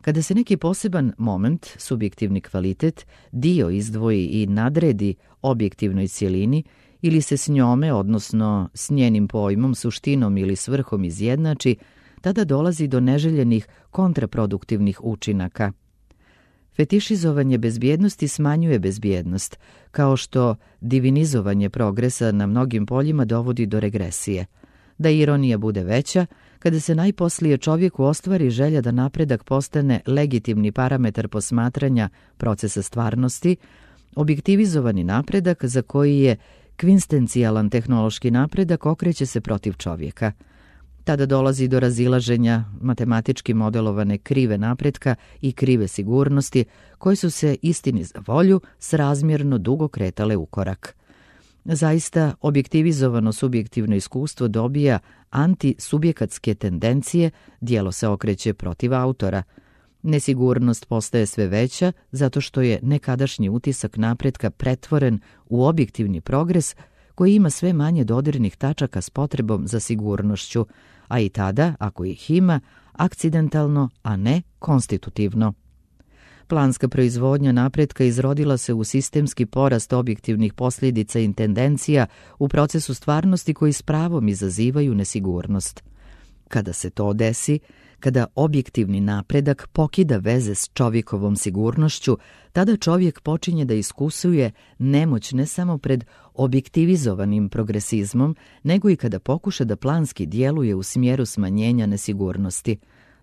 Kada se neki poseban moment, subjektivni kvalitet, dio izdvoji i nadredi objektivnoj cjelini ili se s njome, odnosno s njenim pojmom, suštinom ili svrhom izjednači, tada dolazi do neželjenih kontraproduktivnih učinaka. Fetišizovanje bezbjednosti smanjuje bezbjednost, kao što divinizovanje progresa na mnogim poljima dovodi do regresije. Da ironija bude veća, kada se najposlije čovjeku ostvari želja da napredak postane legitimni parametar posmatranja procesa stvarnosti, objektivizovani napredak za koji je kvinstencijalan tehnološki napredak okreće se protiv čovjeka. Tada dolazi do razilaženja matematički modelovane krive napretka i krive sigurnosti, koje su se, istini za volju, srazmjerno dugo kretale u korak. Zaista, objektivizovano subjektivno iskustvo dobija antisubjekatske tendencije, djelo se okreće protiv autora. Nesigurnost postaje sve veća zato što je nekadašnji utisak napretka pretvoren u objektivni progres koji ima sve manje dodirnih tačaka s potrebom za sigurnošću, a i tada, ako ih ima, akcidentalno, a ne konstitutivno. Planska proizvodnja napretka izrodila se u sistemski porast objektivnih posljedica i tendencija u procesu stvarnosti koji s pravom izazivaju nesigurnost. Kada se to desi, Kada objektivni napredak pokida veze s čovjekovom sigurnošću, tada čovjek počinje da iskusuje nemoć ne samo pred objektivizovanim progresizmom, nego i kada pokuša da planski djeluje u smjeru smanjenja nesigurnosti.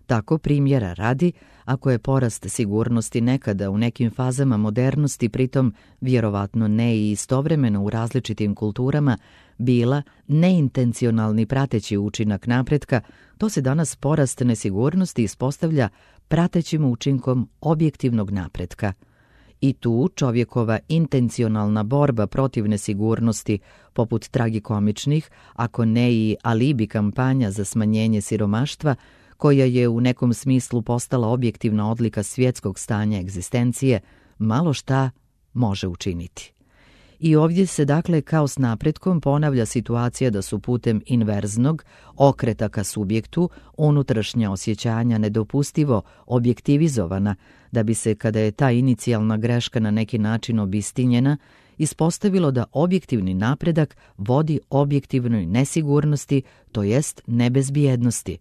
Tako, primjera radi, ako je porast sigurnosti nekada u nekim fazama modernosti, pritom vjerovatno ne i istovremeno u različitim kulturama, bila neintencionalni prateći učinak napretka, to se danas porast nesigurnosti ispostavlja pratećim učinkom objektivnog napretka. I tu čovjekova intencionalna borba protiv nesigurnosti, poput tragikomičnih, ako ne i alibi kampanja za smanjenje siromaštva, koja je u nekom smislu postala objektivna odlika svjetskog stanja egzistencije, malo šta može učiniti. I ovdje se dakle kao s napretkom ponavlja situacija da su putem inverznog okreta ka subjektu unutrašnja osjećanja nedopustivo objektivizovana, da bi se, kada je ta inicijalna greška na neki način obistinjena, ispostavilo da objektivni napredak vodi objektivnoj nesigurnosti, to jest nebezbijednosti.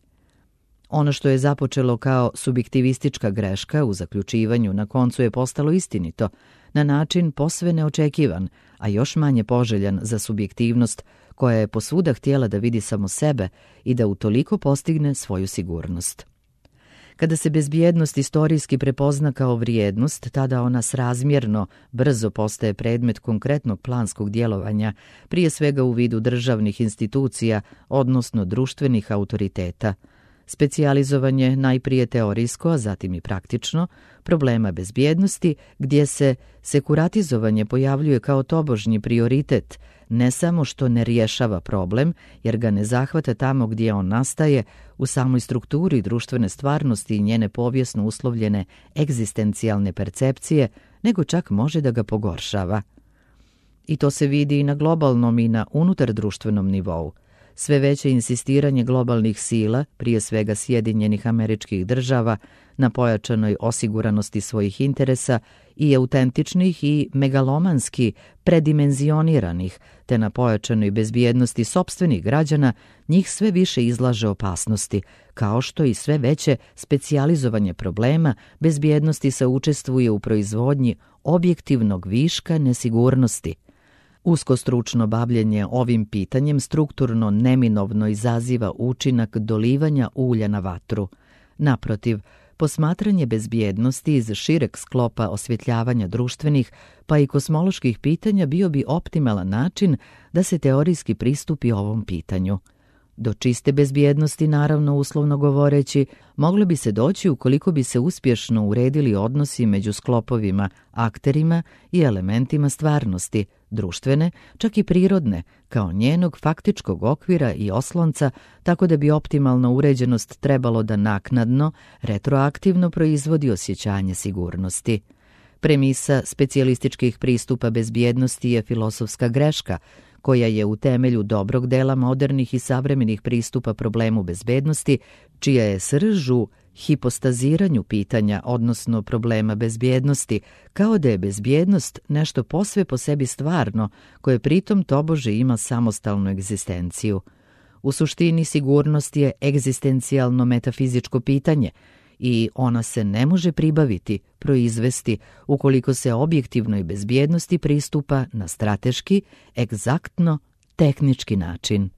Ono što je započelo kao subjektivistička greška u zaključivanju na koncu je postalo istinito, na način posve neočekivan, a još manje poželjan za subjektivnost koja je posvuda htjela da vidi samo sebe i da utoliko postigne svoju sigurnost. Kada se bezbjednost istorijski prepozna kao vrijednost, tada ona srazmjerno brzo postaje predmet konkretnog planskog djelovanja, prije svega u vidu državnih institucija, odnosno društvenih autoriteta. Specijalizovanje najprije teorijsko, a zatim i praktično, problema bezbjednosti, gdje se sekuratizovanje pojavljuje kao tobožnji prioritet, ne samo što ne rješava problem, jer ga ne zahvata tamo gdje on nastaje, u samoj strukturi društvene stvarnosti i njene povijesno uslovljene egzistencijalne percepcije, nego čak može da ga pogoršava. I to se vidi i na globalnom i na unutardruštvenom nivou. Sve veće insistiranje globalnih sila, prije svega Sjedinjenih Američkih Država, na pojačanoj osiguranosti svojih interesa i autentičnih i megalomanski predimenzioniranih, te na pojačanoj bezbjednosti sopstvenih građana, njih sve više izlaže opasnosti, kao što i sve veće specijalizovanje problema bezbjednosti se učestvuje u proizvodnji objektivnog viška nesigurnosti. Uskostručno bavljenje ovim pitanjem strukturno neminovno izaziva učinak dolivanja ulja na vatru. Naprotiv, posmatranje bezbjednosti iz šireg sklopa osvjetljavanja društvenih pa i kosmoloških pitanja bio bi optimalan način da se teorijski pristupi ovom pitanju. Do čiste bezbjednosti, naravno uslovno govoreći, moglo bi se doći ukoliko bi se uspješno uredili odnosi među sklopovima, akterima i elementima stvarnosti, društvene, čak i prirodne, kao njenog faktičkog okvira i oslonca, tako da bi optimalna uređenost trebalo da naknadno, retroaktivno proizvodi osjećanje sigurnosti. Premisa specijalističkih pristupa bezbjednosti je filosofska greška, koja je u temelju dobrog dela modernih i savremenih pristupa problemu bezbednosti, čija je srž u hipostaziranju pitanja, odnosno problema bezbjednosti, kao da je bezbjednost nešto posve po sebi stvarno, koje pritom tobože ima samostalnu egzistenciju. U suštini sigurnost je egzistencijalno metafizičko pitanje i ona se ne može pribaviti, proizvesti, ukoliko se objektivnoj bezbjednosti pristupa na strateški, egzaktno, tehnički način.